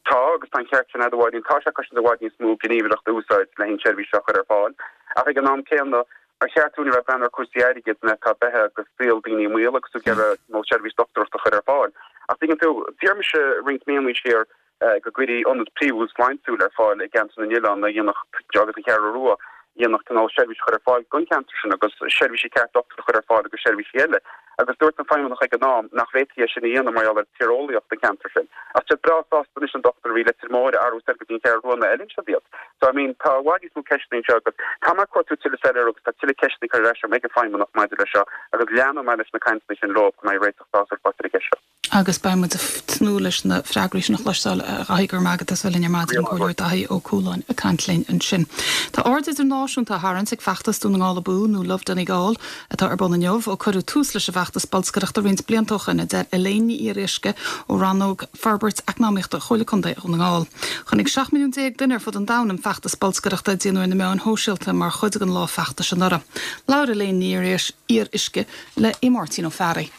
S10: Tá, agus tá an ceart sin agat a Mháirín. Tá sé ag cosaint i bhfad níos mó gníomhaireacht a úsáid le an tseirbhís seo a chur ar fáil. Ach ag an am céanna, ar cheart dúinn a bheith ag breathnú ar chúrsaí airgid nuair atá beatha agus saol daoine i mbaol agus tú ag iarraidh cineál seirbhís dochtúireachta a chur ar fáil. Ach tuigeann tú, d'iarr mise roinnt míonna siar go gcuirfí ionad príomhúil sláintiúil ar fáil i gceantar na nOileán a dhéanfadh agus an Cheathrú Rua, a dhéanfadh cineál seirbhís a chur ar fáil don cheantar sin agus seirbhísí ceart dochtúir a chur ar fáil agus seirbhísí eile. Agus dúirt an feidhmeannach ag an am nach bhféadfaí é sin a dhéanamh mar gheall ar tíreolaíocht an cheantair sin. Ach tá siad breá sásta anois an dochtúir a bhí i Leitir Móir a athrú soir go dtí an Cheathrú Rua nó fheileann siad iad. So I mean tá i bhfad níos mó ceisteanna anseo agus tá mé ag cuartú tuilleadh soiléiriú agus tá tuilleadh ceisteanna curtha ar ais agam ag an feidhmeannach maidir leis seo agus leanfaidh mé leis na cainteanna sin leo go mbeidh réiteach sásúil faighte ar an gceist seo.
S1: Agus beidh muid ag tnúth leis na freagraí sin a chloisteáil, a Dhaithí. Go raibh maith agat as bheith linn ar maidin, an Comhairleoir Daithí Ó Cualáin ag caint linn ansin. Tá aird idirnáisiúnta á tharraingt ag feachtas Dún na nGall Abú, nó Love Donegal, atá ar bun inniu, ó cuireadh tús leis an bhfeachtas bolscaireachta roinnt blianta ó shin, a deir Elaine Ní Fhíoruisce ó Rannóg Forbairt Eacnamaíochta Chomhairle Contae Dhún na nGall. Chonaic 17 milliún duine ar fud an domhain an feachtas bolscaireachta a déanadh ar na meáin shóisialta mar chuid den lá feachtais anuraidh. Labhair Elaine Ní Fhíoruisce le Aodh Máirtín Ó Fearraigh.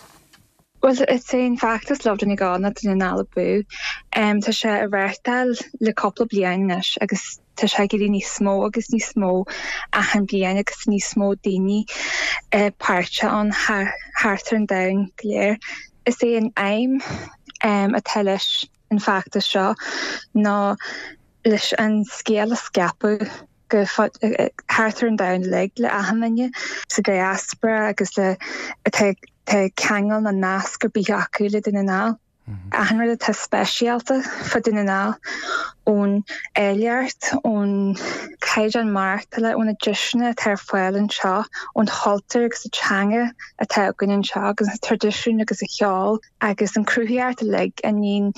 S11: Bhuel, is é an feachtas Love Donegal nó Dún na nGall Abú. Tá sé á reáchtáil le cúpla bliain anois agus tá sé ag éirí níos mó agus níos mó achan bliain agus níos mó daoine páirteach ann thart ar an domhan go léir. Is é an aidhm atá leis an feachtas seo ná leis an scéal a scaipeadh go thart ar an domhan uilig le achan duine sa diaspora agus le atá tá ceangal nó nasc ar bith acu le Dún na nGall. Achan rud atá speisialta fá Dún na nGall, ón áilleacht, ón caighdeán maireachtála, ó na deiseanna atá ar fáil anseo, ón chultúr agus an teanga atá againn anseo agus na traidisiúin agus an cheol agus an cruthaitheacht uilig a níonn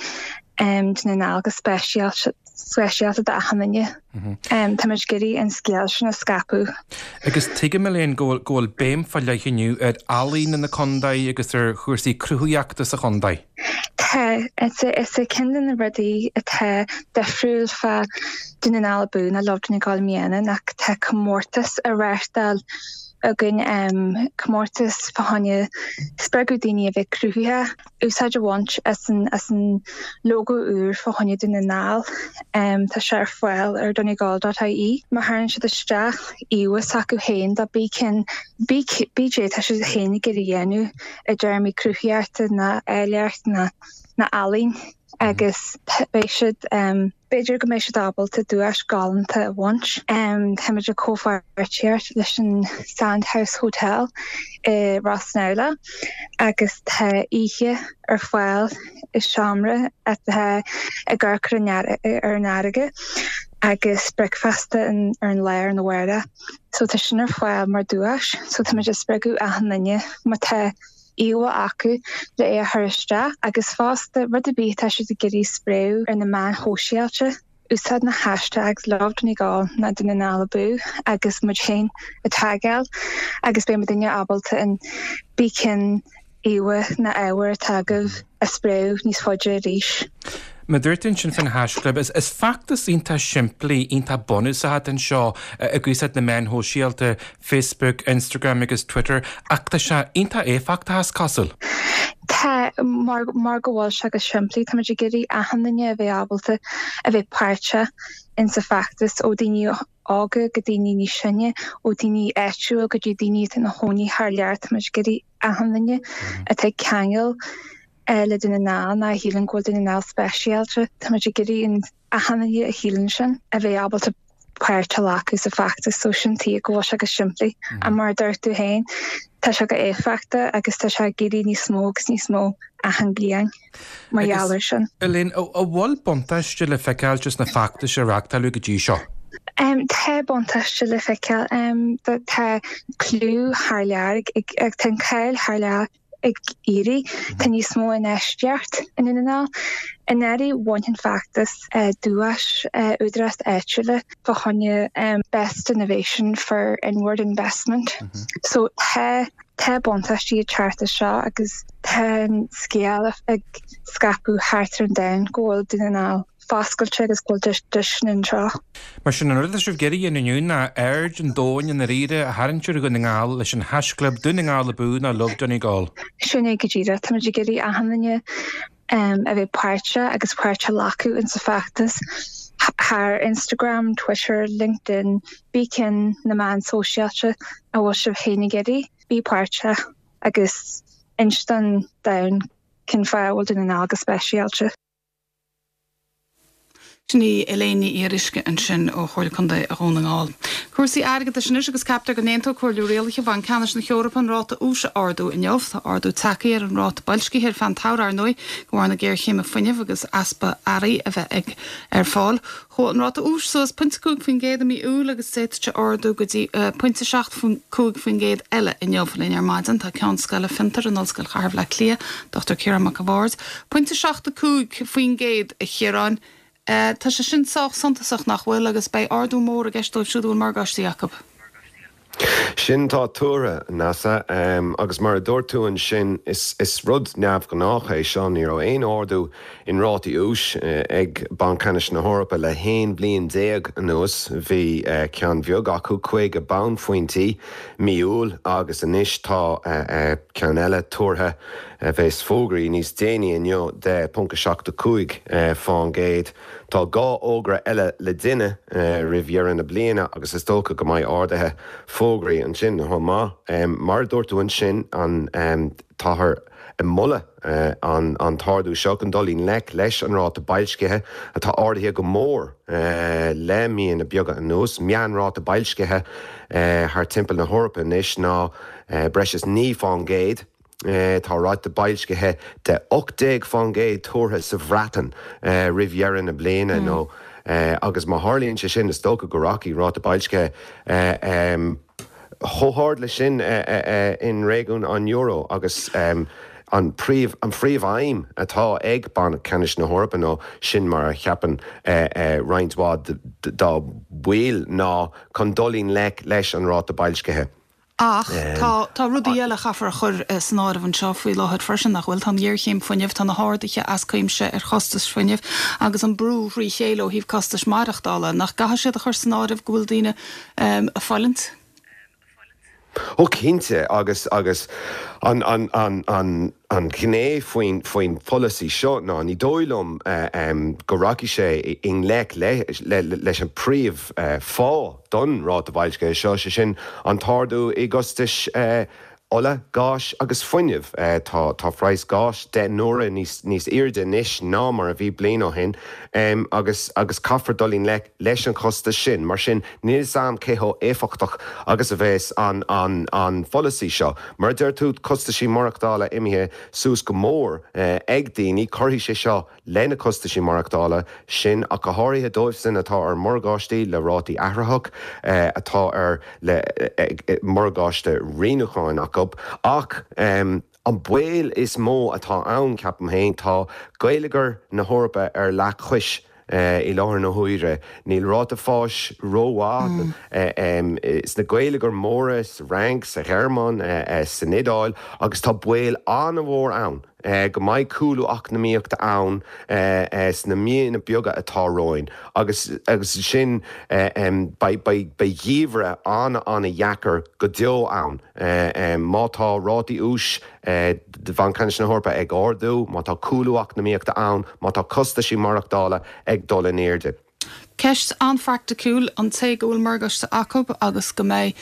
S11: Dún na nGall go speisialta speisialta d'achan duine. Táimid ag iarraidh an scéal sin a scaipeadh.
S12: Agus tuigim, Elaine, go bhfuil go bhfuil béim fá leith inniu ar ealaíona na contae agus ar chúrsaí cruthaitheachta sa chontae.
S11: Tá. Is é ceann de na rudaí atá difriúil fá Dún na nGall Abú nó Love Donegal i mbliana ná tá comórtas á reáchtáil againn, comórtas fá choinne spreagadh daoine a bheith cruthaitheach. úsáid a bhaint as an as an lógó úr fá choinne Dún na nGall. Tá sé ar fáil ar donegal dot ie. Má chuireann siad isteach íomhá s'acu féin de pé cinn pé cad é tá siad féin ag iarraidh a dhéanamh i dtéarmaí cruthaitheachta ná áilleacht ná ná ealaín agus beidh siad B'fhéidir go mbeidh siad ábalta duais galánta a bhaint. Táimid i comhpháirtíocht leis an Sandhouse Hotel i Ros an Fheabhla agus tá oíche ar fáil i seomra atá ag amharc ar an fharraige. Agus bricfeasta ar an lá arna mhárach. So tá sin ar fáil mar duais. So tá muid ag spreagadh achan duine má tá íomhá acu le é a chur isteach agus fosta rud ar bith atá siad ag iarraidh spréadh ar na meáin shóisialta, úsáid na hashtags LoveDonegal nó Dún na nGall Abú agus muid féin a tagáil agus beidh muidinne ábalta an bí cinn íomhá nó ábhar atá agaibh a spréadh níos faide arís.
S12: Mar a dúirt tú ansin faoin haisclib, is feachtas iontach simplí, iontach bunúsach atá anseo ag úsáid na meáin shóisialta, Facebook, Instagram agus Twitter, ach tá sé iontach éifeachtach is cosúil.
S11: Tá, mar mar go bhfuil sé go simplí, táimid ag iarraidh achan duine a bheith ábalta a bheith páirteach insa feachtas, ó daoine óga go daoine níos sine, ó daoine áitiúil go dtí daoine atá ina chónaí thar lear, táimid ag iarraidh achan duine atá ag ceangal le Dún na nGall nó a shíleann go bhfuil Dún na nGall speisialta, táimid ag iarraidh an achan duine a shíleann sin a bheith ábalta páirt a ghlacadh sa feachtas so sin tuige go bhfuil sé go simplí. Ach mar a dúirt tú féin, tá sé go éifeachtach agus tá sé ag éirí níos mó agus níos mó achan bliain mar gheall air sin.
S12: Elaine, an bhfuil buntáiste le feiceáil sna feachtais a reáchtáladh go dtí seo?
S11: Tá buntáiste le feiceáil. Tá clú thar lear, tá an cáil thar lear ag éirí. Tá níos mó infheistíocht i nDún na nGall. Anuraidh bhain an feachtas duais údarás áitiúla fá choinne Best Innovation for Inward Investment. So tá tá buntáistí ag teacht as seo agus tá an scéal ag scaipeadh thart ar an domhan go bhfuil Dún na nGall foscailte agus go bhfuil deiseanna anseo.
S12: Mar sin, an rud atá sibh ag iarraidh a dhéanamh inniu ná aird an domhain i ndáiríre a tharraingt ar Dhún na nGall leis an haisclib Dún na nGall Abú nó Love Donegal.
S11: Sin é go díreach. Táimid ag iarraidh achan duine a bheith páirteach agus páirt a ghlacadh insa feachtas thar Instagram, Twitter, LinkedIn, bí cinn na meáin sóisialta a bhfuil sibh féin ag iarraidh, bí páirteach agus inis don domhan cén fáth a bhfuil Dún na nGall go speisialta.
S1: Sin í Elaine Ní Fhíoruisce ansin ó Chomhairle Contae Dhún na nGall. Cúrsaí airgeadais anois agus ceaptar go n-aontóidh Comhairle Rialaithe Bhanc Ceannais na hEorpa an ráta úis a ardú inniu. Tá ardú tagtha ar an ráta boilscithe ar feadh an tsamhraidh ar ndóigh de bharr na géarchéime fuinnimh agus easpa earraí a bheith ag ar fáil. Chuaigh an ráta úis suas pointe 5% i mí Iúil agus d'fhéadfadh sé ardú go dtí pointe 7.5% eile inniu. Linn ar maidin tá Ceann Scoile Fiontar in Ollscoil Chathair Bhaile Átha Cliath, Dr Ciarán Mac a' Bhaird. Pointe 7.5% a Chiaráin. Tá sé sin sách suntasach nach bhfuil agus beidh ardú mór i gceist dóibh siúd a bhfuil morgáistí acu.
S13: Sin atá tuartha, Neasa. Agus mar a dúirt tú ansin, is rud neamhghnách é seo. Ní raibh aon ardú in rátaí úis ag Banc Ceannais na hEorpa le haon bhliain déag anuas. Bhí ceann bheag acu, 50 bonnphointí, mí Iúil agus anois tá ceann eile tuartha, a bheas fógraithe níos déanaí inniu, de 0.75 fán gcéad. Tá 2 fhógra eile le déanamh roimh dheireadh na bliana agus is dócha go mbeidh arduithe fógraithe ansin chomh maith. Mar a dúirt tú ansin, táthar ag moladh an t-ardú seo chun dul i ngleic leis an ráta boilscithe atá ardaithe go mór le míonna beaga anuas. Meánráta boilscithe thar timpeall na hEorpa anois ná breis is 9 fán gcéad. Tá ráta boilscithe de 18% tuartha sa Bhreatain roimh dheireadh na bliana nó agus má tharlaíonn sé sin is dócha go rachaidh ráta boilscithe chomh hard leis sin in réigiún an euro agus an príomh an phríomh-aidhm atá ag Banc Ceannais na hEorpa nó sin mar a cheapann roinnt mhaith dá bhaill ná chun dul i ngleic leis an ráta boilscithe.
S1: Ach tá, tá rudaí eile a chaithfear a chur san áireamh anseo faoi láthair freisin, nach bhfuil? Tá an ghéarchéim fuinnimh, tá na harduithe as cuimse ar chostais fuinnimh agus an brú thrí chéile ó thaobh costais maireachtála. Nach gcaithfidh siad a chur san áireamh go bhfuil daoine ag fulaingt?
S13: Ó cinnte, agus, agus an, an, an, an, an ghné faoin, faoin pholasaí seo ná ní dóigh liom go rachaidh sé i ngleic le, le, leis an príomh fáth don ráta boilscithe seo, sé sin an t-ardú i gcostais. ola, gáis agus fuinnimh. Tá tá praghas gáis 10 n-uaire níos níos airde anois ná mar a bhí bliain ó shin agus agus caithfear dul i ngleic leis an chostas sin. Mar sin, níl 'fhios a'm cé chomh éifeachtach agus a bheas an an an pholasaí seo. Mar a deir tú, costaisí maireachtála imithe suas go mór ag daoine, cuirfidh sé seo le na costaisí maireachtála sin, ach go háirithe dóibhsan atá ar mhorgáistí le rátaí athraitheach, atá ar le morgáiste rianúcháin acu. Ach an baol is mó atá ann, ceapaim féin, tá geilleagar na hEorpa ar leathchois i láthair na huaire. Níl ráta fáis rómhaith sna geilleagair mhóra, sa Fhrainc, sa Ghearmáin, san Iodáil, agus tá baol an-mhór ann go mbeidh cúlú eacnamaíochta ann sna míonna beaga atá romhainn agus ansin beidh geimhreadh an-an-dheacair go deo ann má tá rátaí úis Bhanc Ceannais na hEorpa ag ardú, má tá cúlú eacnamaíochta ann, má tá costaisí maireachtála ag dul in airde.
S1: Ceist an-phraiticiúil, an té go bhfuil morgáiste acu agus go mbeidh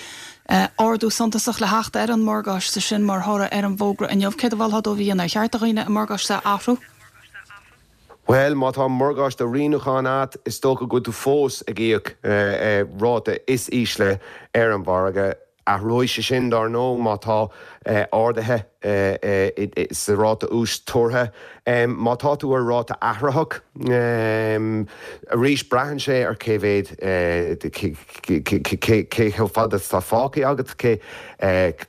S1: ardú suntasach le theacht ar an morgáiste sin mar thoradh ar an bhfógra inniu, céard a mholfá dóibh a dhéanamh? Ar cheart do dhaoine a morgáiste a athrú?
S13: Bhuel, má tá morgáiste rianúcháin agat, is dócha go bhfuil tú fós ag íoc ráta is ísle ar an mhargadh. Athróidh sé sin, dár ndóigh, má tá arduithe sa ráta úis tuartha. Má tá tú ar ráta athraitheach, arís, braitheann sé ar cé mhéad, cé chomh fada is atá fágtha agat, cé,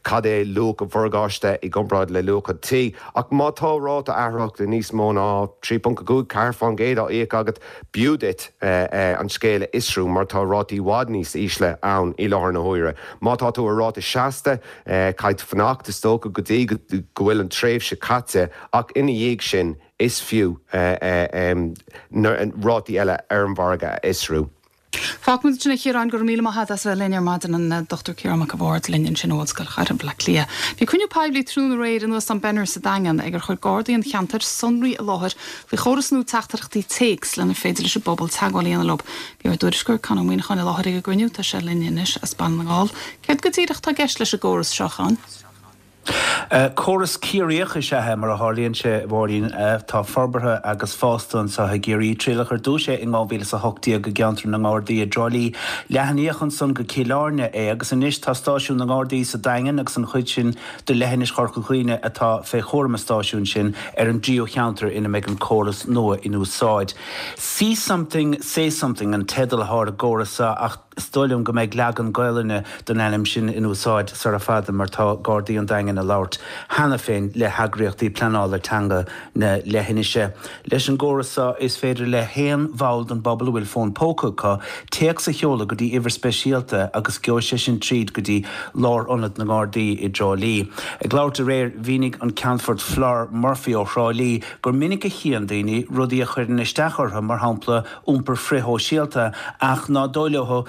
S13: cad é luach an mhorgáiste i gcomparáid le luach an tí. Ach má tá ráta athraitheach de níos mó ná 3.5, 4% á íoc agat, B'fhiú duit an scéal a fhiosrú mar tá rátaí i bhfad níos ísle ann i láthair na huaire. Má tá tú ar ráta seasta, caithfidh tú fanacht, is dócha, go dtí go bhfuil an tréimhse caite ach ina dhiaidh sin is fiú na rátaí eile ar an mhargadh a fhiosrú.
S1: Fágfaimid ansin é a Chiaráin, go raibh míle maith agat as a bheith linn ar maidin, an Dr Ciarán Mac a' Bhaird linn ansin ó Ollscoil Chathair Bhaile Átha Cliath. Bhí cruinniú poiblí tráthnóna aréir in Óstán Benner sa Daingean ag ar chuir Gardaí an cheantair sonraí i láthair faoi chóras nua teachtaireachtaí téacs lenar féidir leis an bpobal teagmháil a dhéanamh leo. Bhí ár dtuairisceoir Conn Ó Muíneacháin i láthair ag an gcruinniú. Tá sé linn anois as Baile na nGall. Céard go díreach atá i gceist leis an gcóras seo, a Chonn?
S14: Córas Ciarraíoch is ea é, mar a tharlaíonn sé, a Mháirín. Tá forbartha agus fásta anseo i gCiarraí. Triaileadh ar dtús é in 2018 i gceantar na nGardaí i dTrá Lí. Leathnaíodh ansan go Cill Airne é agus anois tá stáisiún na nGardaí sa Daingean agus an chuid sin de leithinis Chorca Dhuibhne atá fé chúram an stáisiúin sin ar an dtríú cheantar ina mbeidh an córas nua in úsáid. See Something, Say Something an teideal atá ar an gcóras seo ach is dóigh liom go mbeidh leagan Gaolainne den ainm sin in úsáid sara fada mar tá Gardaí an Daingin ag labhairt cheana féin le heagraíochtaí pleanála teanga na leithinise. Leis an gcóras seo is féidir le haon bhall den bpobal a bhfuil fón póca acu téacs a sheoladh go dtí uimhir speisialta agus gheobhaidh sé sin tríd go dtí lárionad na nGardaí i dTrá Lí. Ag labhairt aréir mhínigh an Ceannfort Flor Murphy ó Thrá Lí gur minic a chíonn daoine rudaí a chuireann isteach orthu mar shampla iompar frithshóisialta ach ná dóigh leo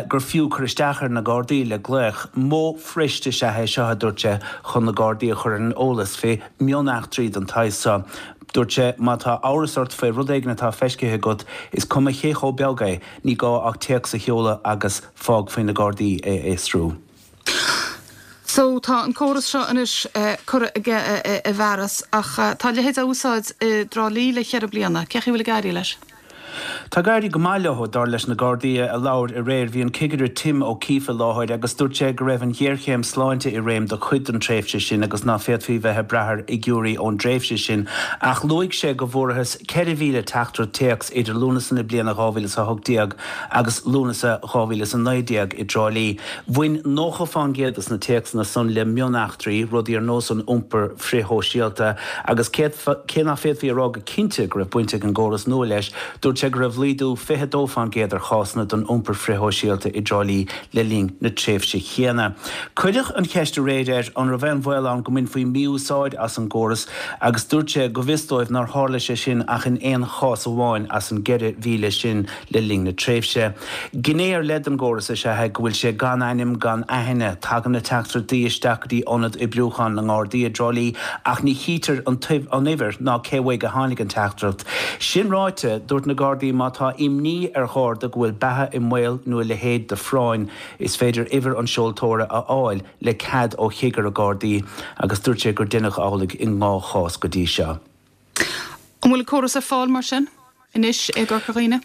S14: gur fiú cur isteach ar na Gardaí le glaoch. Modh fuirist is ea é seo, a dúirt sé, chun na Gardaí a chur ar an eolas fé mhioneachtraí den tsaghas seo. Dúirt sé, má tá amhras ort faoi rud éigin atá feiscithe agat, is cuma cé chomh beag é, ní gá ach téacs a sheoladh agus fág faoi na Gardaí é a fhiosrú.
S1: So, tá an córas seo anois curtha i bhfearas ach tá a leithéid á úsáid i dTrá Lí le cheithre bliana. Cén chaoi a bhfuil ag éirí leis?
S14: Tá ag éirí go maith leo, dar leis na Gardaí a labhair aréir. Bhí an Cigire Tim O'Keefe i láthair agus dúirt sé go raibh an ghéarchéim sláinte i réim do chuid den tréimhse sin agus ná féadfaí bheith ag brath ar fhigiúirí ón dtréimhse sin. Ach luaigh sé go bhfuarathas 4,000 teachtaireacht téacs idir Lúnasa na bliana 2018 agus Lúnasa 2019 i dTrá Lí. Bhain 90 fán gcéad des na téacsanna san le mioneachtraí, rudaí ar nós an iompair frithshóisialta, agus cé ná féadfaí a rá go cinnte go raibh baint ag an gcóras nua leis, dúirt sé go raibh laghdú 22 fán gcéad ar chásanna den iompar frithshóisialta i dTrá Lí le linn na tréimhse chéanna. Cuireadh an cheist aréir air an raibh aon bhaol ann go mbainfí mí-úsáid as an gcóras agus dúirt sé go bhfios dóibh nár tharla sé sin ach in aon chás amháin as an gceithre mhíle sin le linn na tréimhse. Gné ar leith den gcóras is ea é go bhfuil sé gan ainm gan aithne. Tagann na teachtaireachtaí isteach go dtí ionad oibriúcháin na nGardaí i dTrá Lí ach ní chítear an uimhir ná cé uaidh a tháinig an teachtaireacht. Sin ráite, dúirt na Gardaí. Gardaí má tá imní ar Gharda go bhfuil beatha i mbaol nó a leithéid de phráinn, is féidir uimhir an seoltóra a fháil le cead ó Chigire Gardaí agus dúirt sé gur deineadh amhlaidh i ndhá chás go dtí seo.
S1: An bhfuil an córas ar fáil mar sin anois i gCorca Dhuibhne?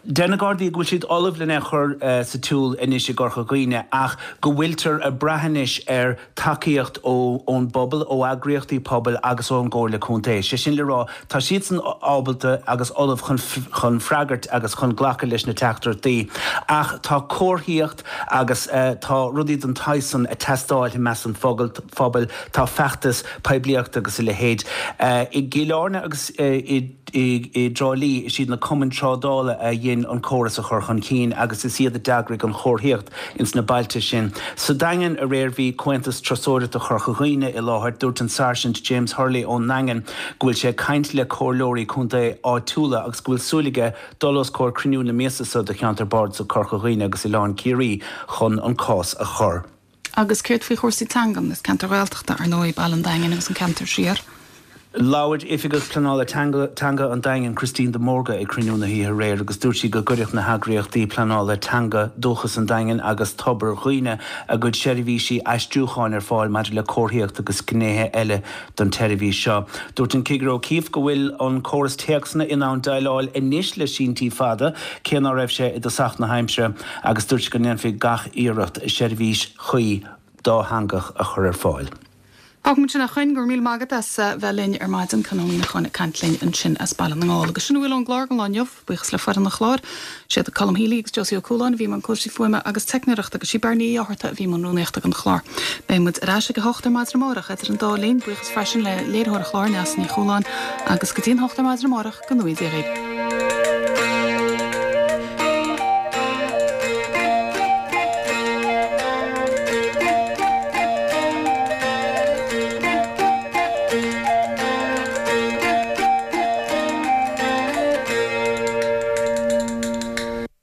S14: Deir na Gardaí go bhfuil siad ullamh lena chur sa tsiúl anois i gCorca Dhuibhne ach go bhfuiltear ag brath anois ar tacaíocht ón bpobal, ó eagraíochtaí pobail agus ón gComhairle Contae. Sé sin le rá, tá siadsan ábalta agus ullamh chun freagairt agus chun glacadh leis na teachtaireachtaí ach tá comharthaíocht agus tá rudaí den tsaghas san ag teastáil i measc an phobail, tá feachtas poiblíochta agus a leithéid. I gCill Airne agus i. I dTrá Lí, is iad na cumainn trádála a dhein an córas a chur chun cinn agus is iad a d'eagraigh an chomharthaíocht ins na bailte sin. Sa Daingean aréir bhí Comhaontas Turasóireachta Chorca Dhuibhne i láthair. Dúirt an Sáirsint James Hurley ón nDaingean go bhfuil sé ag caint le comhairleoirí contae áitiúla agus go bhfuil súil aige dul os comhair cruinniú na míosa seo de Cheantar Bardasach Corca Dhuibhne agus Oileán Ciarraí chun an cás a chur.
S1: Agus céard faoi chúrsaí teangan? Is ceantar Ghaeltachta, ar ndóigh, Baile an Daingin agus an ceantar siar.
S14: Labhair Oifigeach Pleanála Teanga an Daingin, Christine de Mórdha ag cruinniú na hoíche aréir agus dúirt sí go gcuirfeadh na heagraíochtaí pleanála teanga, Dúchas an Daingin agus Tobar Dhuibhne, a gcuid seirbhísí aistriúcháin ar fáil maidir le comharthaíocht agus gnéithe eile don tseirbhís seo. Dúirt an Cigire O'Keeffe go bhfuil an córas téacsanna in ann déileáil anois le síntí fada, cé ná raibh sé i dtosach na haimsire. agus dúirt sé go ndéanfaí gach iarracht seirbhís chuí dátheangach a chur ar fáil.
S1: Fágfaimid sin a Choinn, go raibh míle maith agat as bheith linn ar maidin, Conn Ó Muíneacháin ag caint linn ansin as Baile na nGall. Agus sin a bhfuil ón gclár don lá inniu. Buíochas le foireann an chláir. Siad Colm Healy agus Josie Ó Cualáin a bhí i mbun cúrsaí fuaime agus teicneoireachta agus sí Beirní Uí Fhátharta a bhí i mbun rúnaíochta don chlár. Beidh muid ar ais ag a hocht ar maidin amárach. Idir an dá linn, buíochas freisin le léiritheoir an chláir, Neasa Ní Chualáin, agus go dtí an hocht ar maidin amárach, go ngnóthaí Dia dhaoibh.